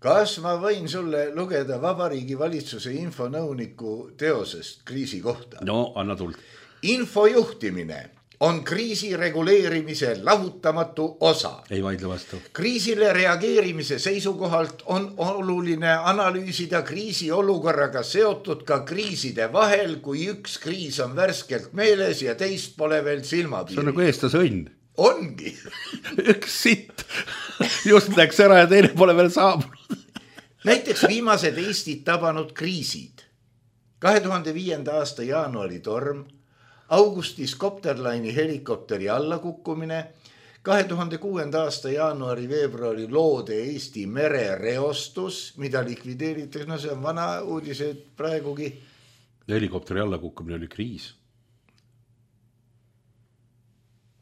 S3: Kas ma võin sulle lugeda Vabariigi valitsuse infonõuniku teosest kriisi kohta?
S4: No, anna tuld.
S3: Infojuhtimine on kriisi reguleerimise lahutamatu osa.
S4: Ei vaidle vastu.
S3: Kriisile reageerimise seisukohalt on oluline analüüsida kriisi olukorraga seotud ka kriiside vahel, kui üks kriis on värskelt meeles ja teist pole veel silmapiiri.
S4: See on nagu eestlase õnn.
S3: Ongi.
S4: Üks sitt just läks ära ja teine pole veel saabunud.
S3: Näiteks viimased Eestit tabanud kriisid. kahe tuhande viienda aasta jaanuari torm, augustis Kopterlaini helikopteri allakukkumine, kahe tuhande kuuenda aasta jaanuari veebruari loode Eesti merereostus, mida likvideeritakse, no see on vana uudised praegugi.
S4: Helikopteri allakukkumine oli kriis.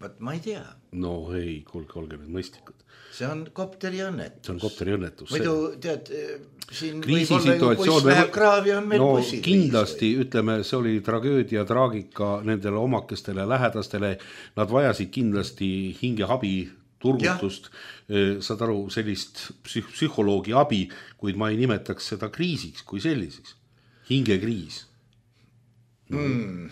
S3: Vaat ma ei tea.
S4: No ei, kuulge, olge need mõistlikud.
S3: See on kopteri õnnetus.
S4: See on kopteri õnnetus.
S3: Muidu tead, siin
S4: kriisi
S3: võib olla ju buss läheb kraavi, on meil
S4: no,
S3: bussid.
S4: Kindlasti, või? Ütleme, see oli tragöödia, traagika nendele omakestele lähedastele. Nad vajasid kindlasti hingeabi turgutust, saad aru, sellist psühholoogi abi, kuid ma ei nimetaks seda kriisiks kui selliseks. Hingekriis.
S3: No. Mm.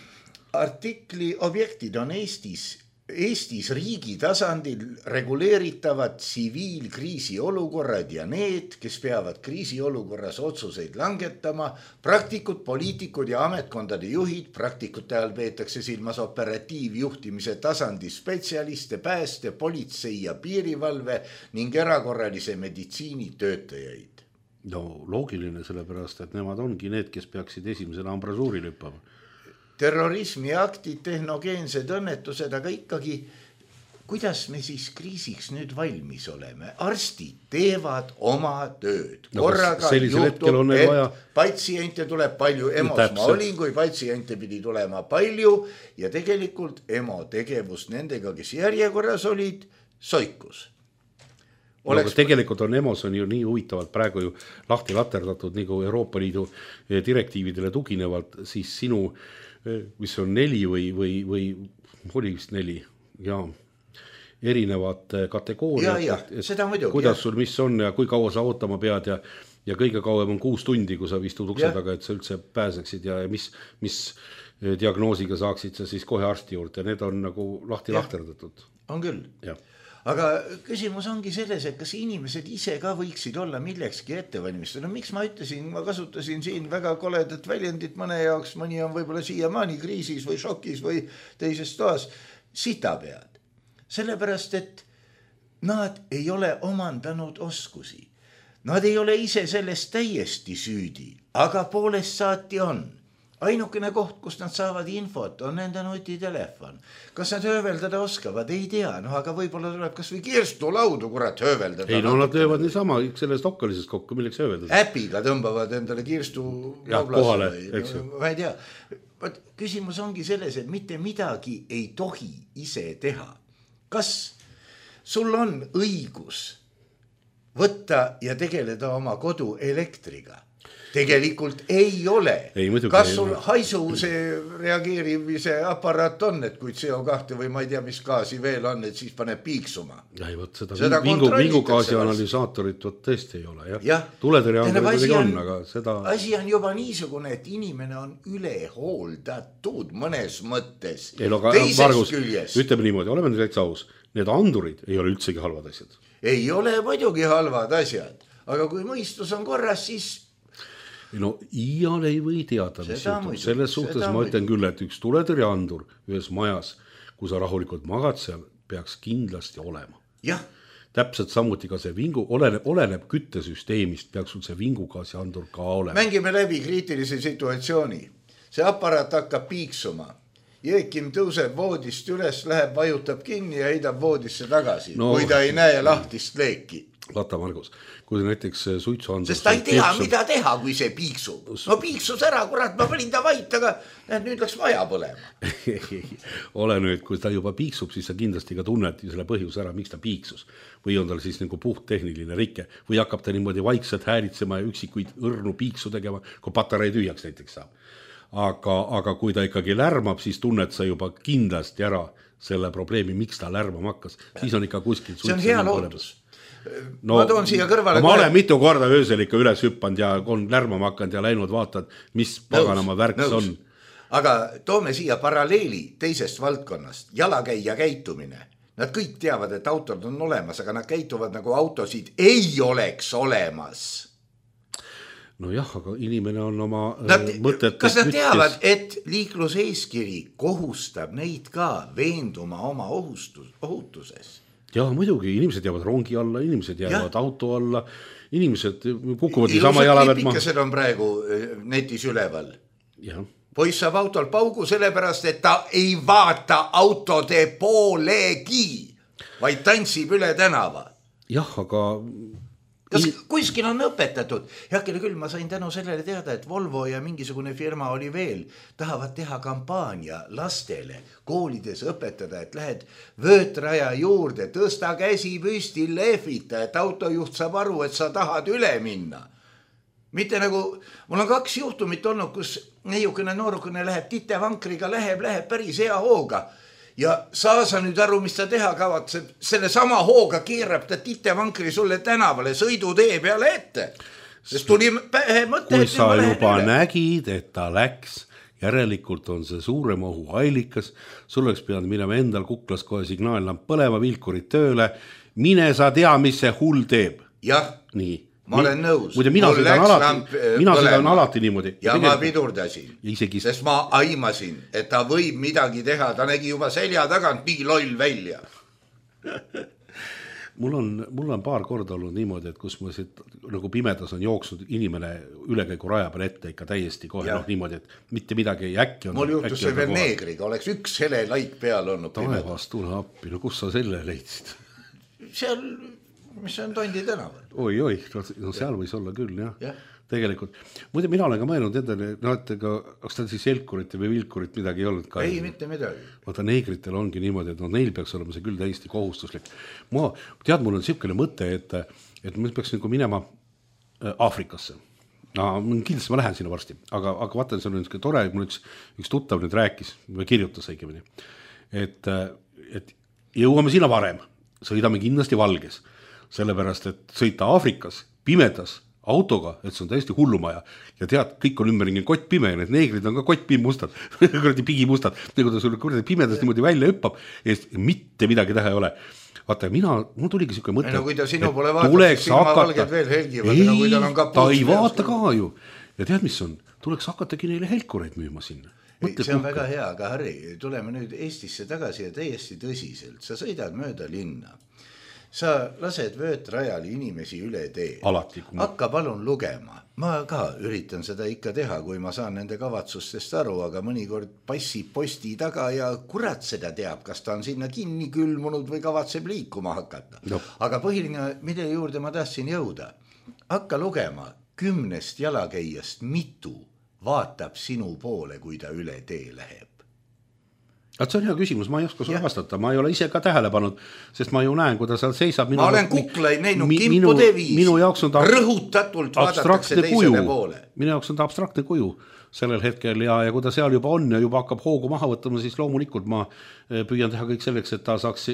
S3: Artikli objektid on Eestis Eestis riigi tasandil reguleeritavad tsiviilkriisi olukorrad ja need, kes peavad kriisi olukorras otsuseid langetama, praktikud, poliitikud ja ametkondade juhid, praktikute all peetakse silmas operatiivjuhtimise tasandi spetsialiste, pääste, politsei ja piirivalve ning erakorralise meditsiini töötajaid.
S4: No loogiline sellepärast, et nemad ongi need, kes peaksid esimesena ambrasuuri lüppama.
S3: Terrorismi aktid, tehnogeensed õnnetused, aga ikkagi, kuidas me siis kriisiks nüüd valmis oleme? Arstid teevad oma tööd. Korraga no, juhtub, et vaja... patsiente tuleb palju, EMO-s ma olin, kui patsiente pidi tulema palju ja tegelikult EMO tegevus nendega, kes järjekorras olid, soikus.
S4: Oleks... No, tegelikult on EMO-s on ju nii huvitavalt praegu ju lahti laterdatud nagu Euroopa Liidu direktiividele tuginevalt, siis sinu mis on neli või, või, või oli vist neli, jaa, erinevad kategooriad,
S3: ja, ja, seda muidugi,
S4: kuidas
S3: ja.
S4: sul mis on ja kui kaua sa ootama pead ja, ja kõige kauem on kuus tundi, kui sa istud ukse taga, et sa üldse pääseksid ja mis, mis diagnoosiga saaksid sa siis kohe arsti juurde, need on nagu lahti ja. lahterdatud.
S3: On küll. Ja. Aga küsimus ongi selles, et kas inimesed ise ka võiksid olla millekski ettevalmistada. No miks ma ütlesin, ma kasutasin siin väga koledat väljendit mõne jaoks, mõni on võib-olla siiamaani kriisis või šokis või teises toas, sitapead. Sellepärast, et nad ei ole omandanud oskusi. Nad ei ole ise sellest täiesti süüdi, aga poolest saati on. Ainukene koht, kus nad saavad infot, on nende nutitelefon. Kas nad hööveldada oskavad? Ei tea, no aga võib-olla tuleb kas või kirstulaudu, kurat, hööveldada.
S4: Ei, no nad löövad niisama sellest okkalisest kokku, milleks hööveldada.
S3: Äpiga tõmbavad endale kirstu
S4: ja, kohale, eks ju.
S3: Ma ei tea. Küsimus ongi selles, et mitte midagi ei tohi ise teha. Kas sul on õigus võtta ja tegeleda oma kodu elektriga? Tegelikult ei ole.
S4: Ei,
S3: kas sul haisuse reageerimise aparaat on, et kui C O kaks või ma ei tea, mis gaasi veel on, et siis paneb piiksuma?
S4: Ja, võt, seda, seda vingu, vingugaasi analüsaatorit võt, tõesti ei ole. Jah. Ja. Tuletõrje on kuidagi on, aga seda...
S3: Asi on juba niisugune, et inimene on üle hooldatud mõnes mõttes.
S4: Ei, no, Margus, ütleme niimoodi, oleme nüüd täitsa aus. Need andurid ei ole üldsegi halvad asjad.
S3: Ei ole muidugi halvad asjad, aga kui mõistus on korras, siis...
S4: No iial ei või teada, mis juhtub. Selles suhtes ma ütlen küll, et üks tuletõrjeandur ühes majas, kui sa rahulikult magad seal, peaks kindlasti olema.
S3: Jah.
S4: Täpselt samuti ka see vingu, oleneb, oleneb küttesüsteemist, peaks sul see vingugaasi andur ka olema.
S3: Mängime läbi kriitilise situatsiooni. See aparaat hakkab piiksuma. Jeekim tõuseb voodist üles, läheb, vajutab kinni ja heidab voodisse tagasi, no, kui ta ei näe lahtist leeki.
S4: Vaata, Margus, kui näiteks suitsuandur...
S3: Sest ta ei tea, piiksub... mida teha, kui see piiksub. No piiksus ära, kurat, ma panin ta vait, aga nüüd läks vaja põlema.
S4: Ole nüüd, kui ta juba piiksub, siis sa kindlasti ka tunned selle põhjus ära, miks ta piiksus. Või on tal siis nagu puht tehniline rike. Või hakkab ta niimoodi vaikselt häälitsema ja üksikuid õrnu piiksu tegema, kui patarei tühjaks näiteks saab. Aga, aga kui ta ikkagi lärmab, siis tunned sa juba kindlasti ära selle probleemi, miks ta lärmama hakkas. Siis on ikka kuskil...
S3: See on hea lootus. No, ma toon siia kõrvale...
S4: Ma olen mitu korda öösel ikka üles hüppanud ja on lärmama hakanud ja läinud vaatad, mis paganama värks on.
S3: Aga toome siia paralleeli teisest valdkonnast. Jalakäija käitumine. Nad kõik teavad, et autod on olemas, aga nad käituvad nagu autosid ei oleks olemas.
S4: No jah, aga inimene on oma
S3: nad, mõtet... Kas nad teavad, et liikluseeskiri kohustab neid ka veenduma oma ohustus, ohutuses?
S4: Jah, muidugi, inimesed jäävad rongi alla, inimesed jäävad ja. auto alla, inimesed kukuvad sama jala pealt maha.
S3: Klipikesed on praegu netis üleval.
S4: Ja.
S3: Poiss saab autol paugu sellepärast, et ta ei vaata autode poolegi, vaid tantsib üle tänava.
S4: Jah, aga...
S3: Kas kuskil on õpetatud? Heakene küll, ma sain tänu sellele teada, et Volvo ja mingisugune firma oli veel, tahavad teha kampaania lastele koolides õpetada, et lähed vöötraja juurde, tõsta käsi püsti, lehvita, et autojuht saab aru, et sa tahad üle minna. Mitte nagu, mul on kaks juhtumit olnud, kus neiukene noorukene läheb titevankriga, läheb, läheb päris hea hooga. Ja saa sa nüüd aru, mis ta teha kavatseb, selle sama hooga keerab ta titevankri sulle tänavale, sõidu tee peale ette. Sest tuli pähe mõte,
S4: kui sa juba üle. Nägid, et ta läks, järelikult on see suurem ohu allikas, sul oleks pidanud minema endal kuklas kohe signaallamp põlema, vilkurid tööle, mine sa tea, mis see hull teeb.
S3: Jah.
S4: Nii.
S3: Ma olen nõus.
S4: Muide, mina sõidan alati, mina sõidan alati niimoodi.
S3: Ja ma pidurdasin, isegi... sest ma aimasin, et ta võib midagi teha. Ta nägi juba selja tagant nii loll välja.
S4: mul, on, mul on paar korda olnud niimoodi, et kus ma siit, nagu pimedas on jooksnud inimene ülekäigu raja peal ette ikka täiesti kohe noh, niimoodi, et mitte midagi äkki on.
S3: Mul juhtus see veel neegriga, oleks üks hele laik peal olnud.
S4: Taevas, tule appi, no kus sa selle leidsid?
S3: Seal... mis on Tondi tänaval.
S4: Oi, oi, no seal võis olla küll, jah. Ja. Tegelikult. Muide, mina olen ka mõelnud endale, no et ega, kas ta siis elkurit või vilkurit midagi ei olnud ka?
S3: Ei, mitte midagi.
S4: Vaata, neegritel ongi niimoodi, et no neil peaks olema see küll täiesti kohustuslik. Ma, tead, mul on siukene mõte, et, et me peaks nagu minema Aafrikasse. no, kindlasti ma lähen sinna varsti, aga, aga vaatan, see on üks tore, mul üks, üks tuttav nüüd rääkis, või kirjutas õigemini, et, et jõuame sinna varem, sõidame kindlasti Valges, sellepärast, et sõita Aafrikas, pimedas, autoga, et see on täiesti hullumaja ja tead, kõik on ümberringi kott pime ja need neegrid on ka kott pimustad, kuradi pigimustad, nagu ta sulle kuradi pimedas niimoodi välja hüppab ja mitte midagi teha ei ole. Vaata, mina, mul tuligi siuke mõte,
S3: no, kui ta sinu pole vaatab, siis silma valged veel helgivad.
S4: Ei,
S3: no, kui tal on
S4: ta ei vaata ka ju. Ja tead, mis on? Tuleks hakatagi neile helkureid müüma sinna. Mõtle,
S3: see on kuhka. Väga hea, aga Harri, tuleme nüüd Eestisse tagasi ja täiesti tõsiselt. Sa sõidad mööda linna. Sa lased vöötrajal inimesi üle tee.
S4: Alati.
S3: Hakka palun lugema. Ma ka üritan seda ikka teha, kui ma saan nende kavatsustest aru, aga mõnikord passib posti taga ja kurat seda teab, kas ta on sinna kinni külmunud või kavatseb liikuma hakata. No. Aga põhiline, mille juurde ma tahtsin jõuda, hakka lugema kümnest jalakäijast mitu vaatab sinu poole, kui ta üle tee läheb.
S4: See on hea küsimus, ma ei oska sulle vastata, ma ei ole ise ka tähele pannud, sest ma ju näen, kui ta seal seisab.
S3: Minu, ma olen kuklaid näinud mi, kimpude viisi, rõhutatult vaadatakse teisele poole.
S4: Minu jaoks on ta abstraktne kuju sellel hetkel ja, ja kui ta seal juba on ja juba hakkab hoogu maha võtama, siis loomulikult ma püüan teha kõik selleks, et ta saaks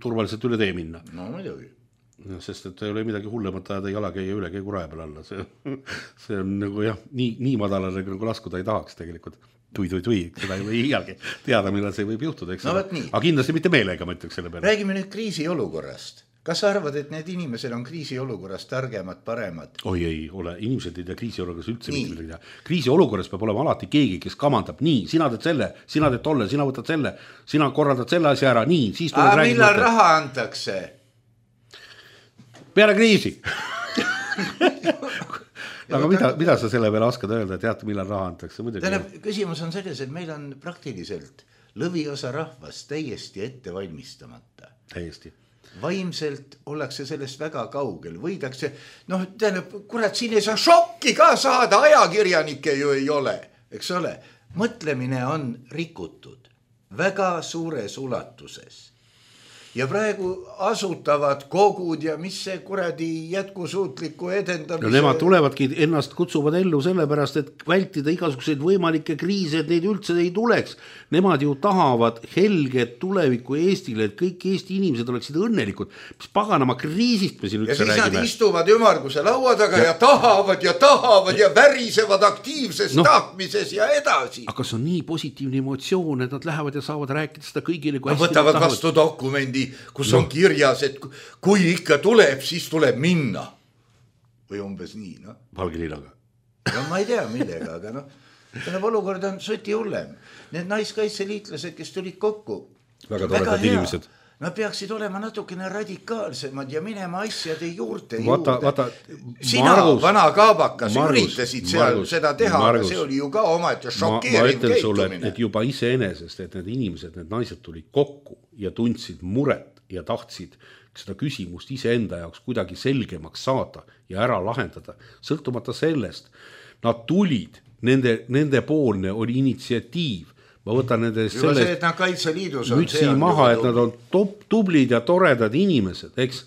S4: turvaliselt üle tee minna.
S3: No muidugi.
S4: Sest et ei ole midagi hullemat ajada jalakäija üle käigu raja peal alla. See, see on nagu jah, nii, nii madalale nagu laskuda ei tahaks tegelikult. Tui, tui, tui, seda ei või iialgi teada, millal see võib juhtuda, eks
S3: no,
S4: aga kindlasti mitte meelega, ma ütleks selle peale.
S3: Räägime nüüd kriisiolukorrast. Kas sa arvad, et need inimesed on kriisiolukorrast targemad, paremad?
S4: Oi ei ole, inimesed ei tea kriisiolukorras üldse mitte midagi teha. Kriisiolukorras peab olema alati keegi, kes kamandab, nii, sina teed selle, sina teed tolle, sina võtad selle, sina korraldad selle asja ära, nii, siis tuleb
S3: räägida. Millal raha antakse?
S4: Peale kriisi. Aga mida, mida sa selle peale oskad öelda, et teate, millal raha antakse?
S3: Tähendab, küsimus on selles, et meil on praktiliselt lõviosa rahvast täiesti ette valmistamata.
S4: Täiesti.
S3: Vaimselt ollakse sellest väga kaugel. Võidakse, noh, tähendab, kurat, siin ei saa šokki ka saada, ajakirjanikke ju ei ole, eks ole. Mõtlemine on rikutud väga suures ulatuses. Ja praegu asutavad kogud ja mis see kuradi jätkusuutliku edendamise...
S4: No nemad tulevadki, ennast kutsuvad ellu sellepärast, et vältida igasuguseid võimalikke kriise, et neid üldse ei tuleks. Nemad ju tahavad helget tulevikku Eestile, et kõik Eesti inimesed oleksid õnnelikud. Mis paganama kriisist me siin üldse räägime.
S3: Ja siis nad istuvad ümarguse laua taga ja, ja tahavad ja tahavad ja värisevad aktiivses no, tahtmises ja edasi.
S4: Aga see on nii positiivne emotsioon, et nad lähevad ja saavad rääkida seda kõigile.
S3: Nad võtavad vastu dokumendi, kus no. on kirjas, et kui ikka tuleb, siis tuleb minna. Või umbes nii, noh.
S4: Valgelinaga.
S3: No ma ei tea millega, aga noh, tähendab olukord on suti hullem. Need naiskaitseliitlased, kes tulid kokku.
S4: Väga toredad inimesed.
S3: Nad peaksid olema natukene radikaalsemad ja minema asjade juurte
S4: vaata,
S3: juurde.
S4: Vaata,
S3: Sina, Margus, vana kaabakas, Margus, üritasid seal Margus, seda teha, Margus, aga see oli ju ka oma, et šokeeriv
S4: ma, ma ütlen sulle, et, et juba iseenesest, et need inimesed, need naised tulid kokku ja tundsid muret ja tahtsid seda küsimust iseenda jaoks kuidagi selgemaks saada ja ära lahendada. Sõltumata sellest, nad tulid, nende, nende poolne oli initsiatiiv. Ma võtan nende
S3: juba sellest see, et nad Kaitseliidus on
S4: mütsi maha, et nad on top, tublid ja toredad inimesed, eks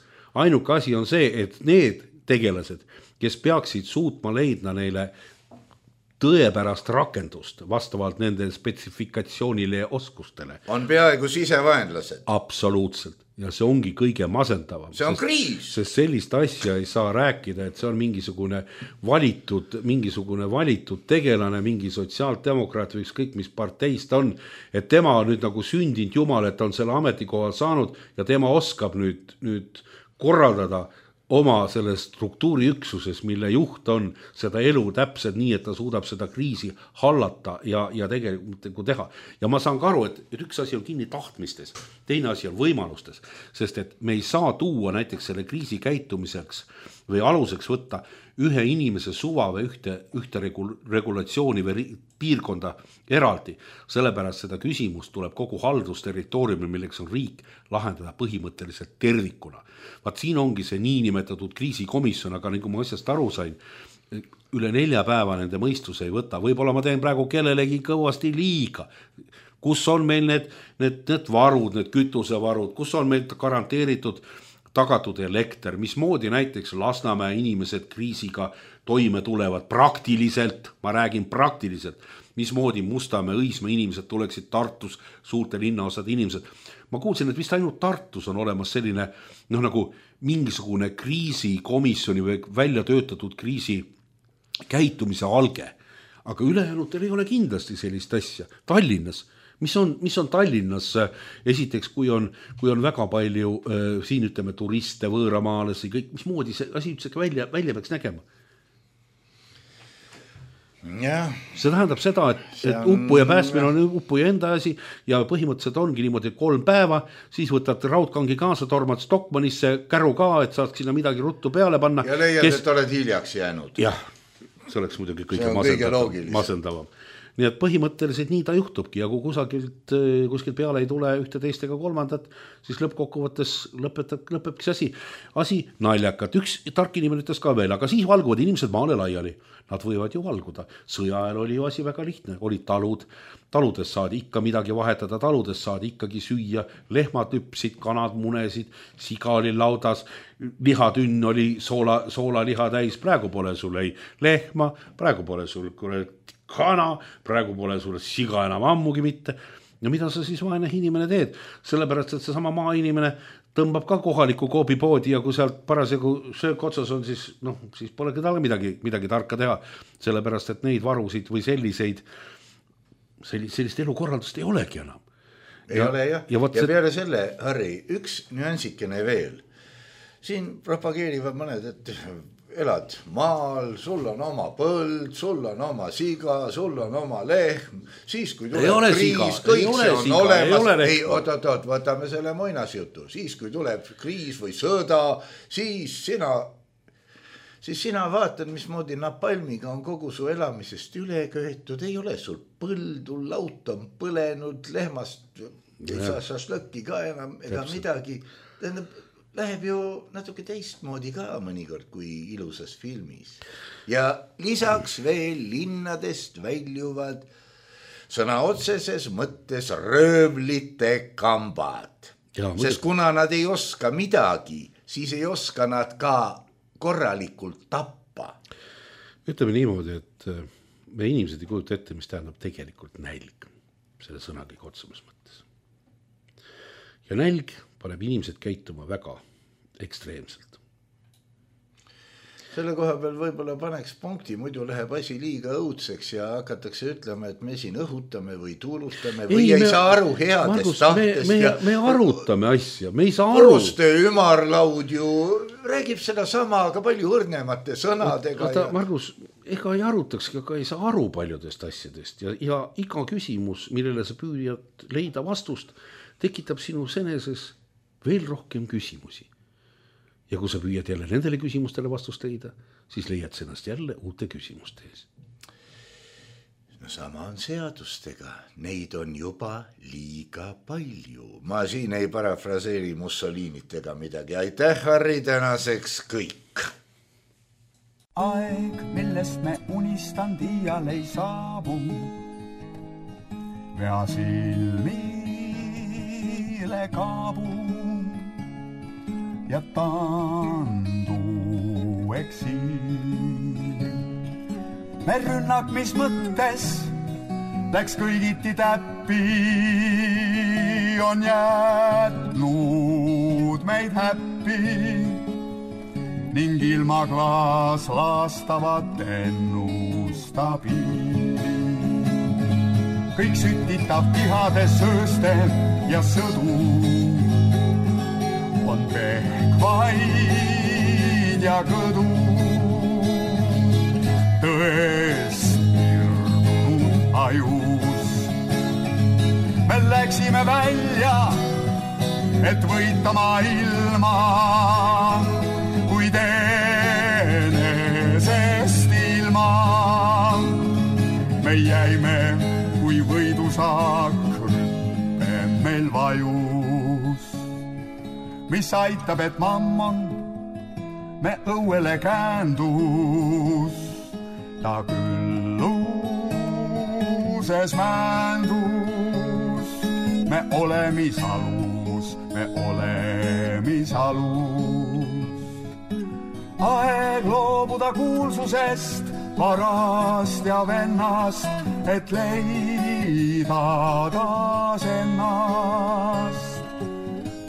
S4: ainuke asi on see, et need tegelased, kes peaksid suutma leidma neile tõepärast rakendust vastavalt nende spetsifikatsioonile ja oskustele.
S3: On peaaegu sisevaenlased.
S4: Absoluutselt. Ja see ongi kõige masendavam.
S3: See on
S4: sest,
S3: kriis.
S4: Sest sellist asja ei saa rääkida, et see on mingisugune valitud, mingisugune valitud tegelane, mingi sotsiaaldemokraat või ükskõik mis parteist on, et tema on nüüd nagu sündinud jumal, et on selle ametikohal saanud ja tema oskab nüüd, nüüd korraldada oma selles struktuuriüksuses, mille juht on seda elu täpselt nii, et ta suudab seda kriisi hallata ja, ja tegelikult teha. Ja ma saan ka aru, et, et üks asi on kinni tahtmistes, teine asi on võimalustes, sest et me ei saa tuua näiteks selle kriisi käitumiseks või aluseks võtta ühe inimese suva või ühte, ühte regulatsiooni või piirkonda eraldi. Sellepärast seda küsimust tuleb kogu haldusterritooriumil, milleks on riik, lahendada põhimõtteliselt tervikuna. Vaat siin ongi see niinimetatud kriisikomisjon, aga nagu ma asjast aru sain, üle nelja päeva nende mõistus ei võta. Võib-olla ma teen praegu kellelegi kõvasti liiga. Kus on meil need, need, need varud, need kütusevarud, kus on meil garanteeritud tagatud elekter, mismoodi näiteks Lasnamäe inimesed kriisiga toime tulevad praktiliselt, ma räägin praktiliselt, mismoodi Mustamäe, Õismäe inimesed tuleksid Tartus, suurte linnaosad inimesed. Ma kuulsin, et vist ainult Tartus on olemas selline noh, nagu mingisugune kriisikomisjoni või välja töötatud kriisi käitumise alge, aga ülejäänutel ei ole kindlasti sellist asja. Tallinnas, mis on, mis on Tallinnas, esiteks, kui on, kui on väga palju äh, siin ütleme turiste, võõramaalasi, kõik, mismoodi see asi üldse välja, välja peaks nägema?
S3: Ja.
S4: See tähendab seda, et, et uppuja päästmine on uppuja enda asi ja põhimõtteliselt ongi niimoodi kolm päeva, siis võtad raudkangi kaasa, tormad Stockmannisse, käru ka, et saaks sinna midagi ruttu peale panna.
S3: Ja leiad, kes... et oled hiljaks jäänud.
S4: Jah, see oleks muidugi kõige masendavam. masendavam. Nii et põhimõtteliselt nii ta juhtubki ja kui kusagilt, kuskilt peale ei tule ühte teist ega kolmandat, siis lõppkokkuvõttes lõpetab, lõpebki see asi. Asi naljakat. Üks tark inimene ütles ka veel, aga siis valguvad inimesed maale laiali. Nad võivad ju valguda. Sõja ajal oli ju asi väga lihtne. Olid talud. Taludes saadi ikka midagi vahetada. Taludes saadi ikkagi süüa. Lehmad hüpsid, kanad munesid, siga oli laudas. Lihatünn oli soola, soola liha täis. Praegu pole sul ei lehma. Praegu pole sul kana. Praegu pole sul siga enam ammugi mitte. Ja mida sa siis vaene inimene teed? Sellepärast, et see sama maa inimene tõmbab ka kohaliku koobipoodi ja kui sealt parasjagu söök otsas on, siis, noh, siis polegi talle midagi, midagi tarka teha. Sellepärast, et neid varusid või selliseid, sellist elukorraldust ei olegi enam.
S3: Ei ja, ole jah. Ja, ja
S4: see...
S3: peale selle, Harri, üks nüansikene veel. Siin propageerivad mõned, et elad maal, sul on oma põld, sul on oma siga, sul on oma lehm, siis kui tuleb kriis, kõik see on siga, olemas, ei, oot, oot, oot, võtame selle muinasjutu, siis kui tuleb kriis või sõda, siis sina, siis sina vaatad, mismoodi napalmiga on kogu su elamisest üle köetud, ei ole sul põldu, laut on põlenud, lehmast ei saa šašlõkki ka enam ega Täpselt. midagi, tähendab, läheb ju natuke teistmoodi ka mõnikord kui ilusas filmis. Ja lisaks veel linnadest väljuvad sõna otseses mõttes röövlite kambad. Ja, sest kuna nad ei oska midagi, siis ei oska nad ka korralikult tappa.
S4: Ütleme niimoodi, et me inimesed ei kujuta ette, mis tähendab tegelikult nälg selle sõnagi otsemas mõttes. Ja nälg paneb inimesed käituma väga ekstreemselt.
S3: Selle koha peal võib-olla paneks punkti, muidu läheb asi liiga õudseks ja hakatakse ütlema, et me siin õhutame või tuulustame või ei, ei me, saa aru headest Margus, tahtest.
S4: Me, me, me arutame asja, me ei saa aru.
S3: Koostöö ümarlaud ju räägib seda sama, aga palju õrnemate sõnadega.
S4: Oota, ja... Margus, ega ei arutakski, aga ei saa aru paljudest asjadest ja, ja iga küsimus, millele sa püüad leida vastust, tekitab sinu seneses veel rohkem küsimusi. Ja kui sa püüad jälle nendele küsimustele vastust leida, siis leiad sa ennast jälle uute küsimuste ees.
S3: No sama on seadustega. Neid on juba liiga palju. Ma siin ei parafraseeri Mussolinit ega midagi. Aitäh, Harri, tänaseks kõik.
S5: Aeg, millest me unistanud iial ei saabu. Vea silmile kaabu. Ja tandu eksiil. Me rünnak, mis mõttes läks kõigiti täppi, on jätnud meid häppi ning ilma klaas laastavat ennustab ilmi. Kõik sütitab pihades sööste ja sõdu on pehkvaid ja kõdu. Tõest irnu ajus. Me läksime välja, et võita maailma, kuid enesest ilma. Me jäime, kui võidusaak rüppe meil vajus. Mis aitab, et mammon me õuele käendus. Ta külluses mändus. Me olemis alus, me olemisalus. Aeg loobuda kuulsusest, varast ja vennast, et leida taas ennast.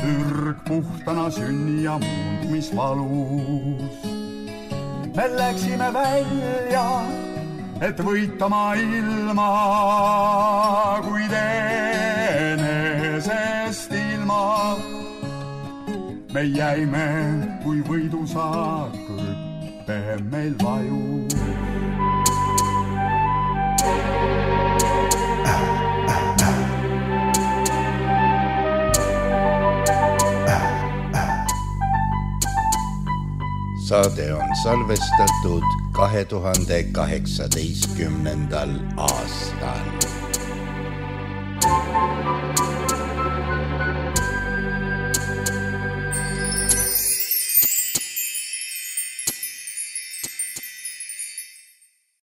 S5: Ürg puhtana sünni ja muundmisvalus. Me läksime välja, et võita maailma, kuid enesest ilma. Me jäime, kui võidusaak rüppe meil vaju.
S3: Saade on salvestatud kahe tuhande kaheksateistkümnendal aastal.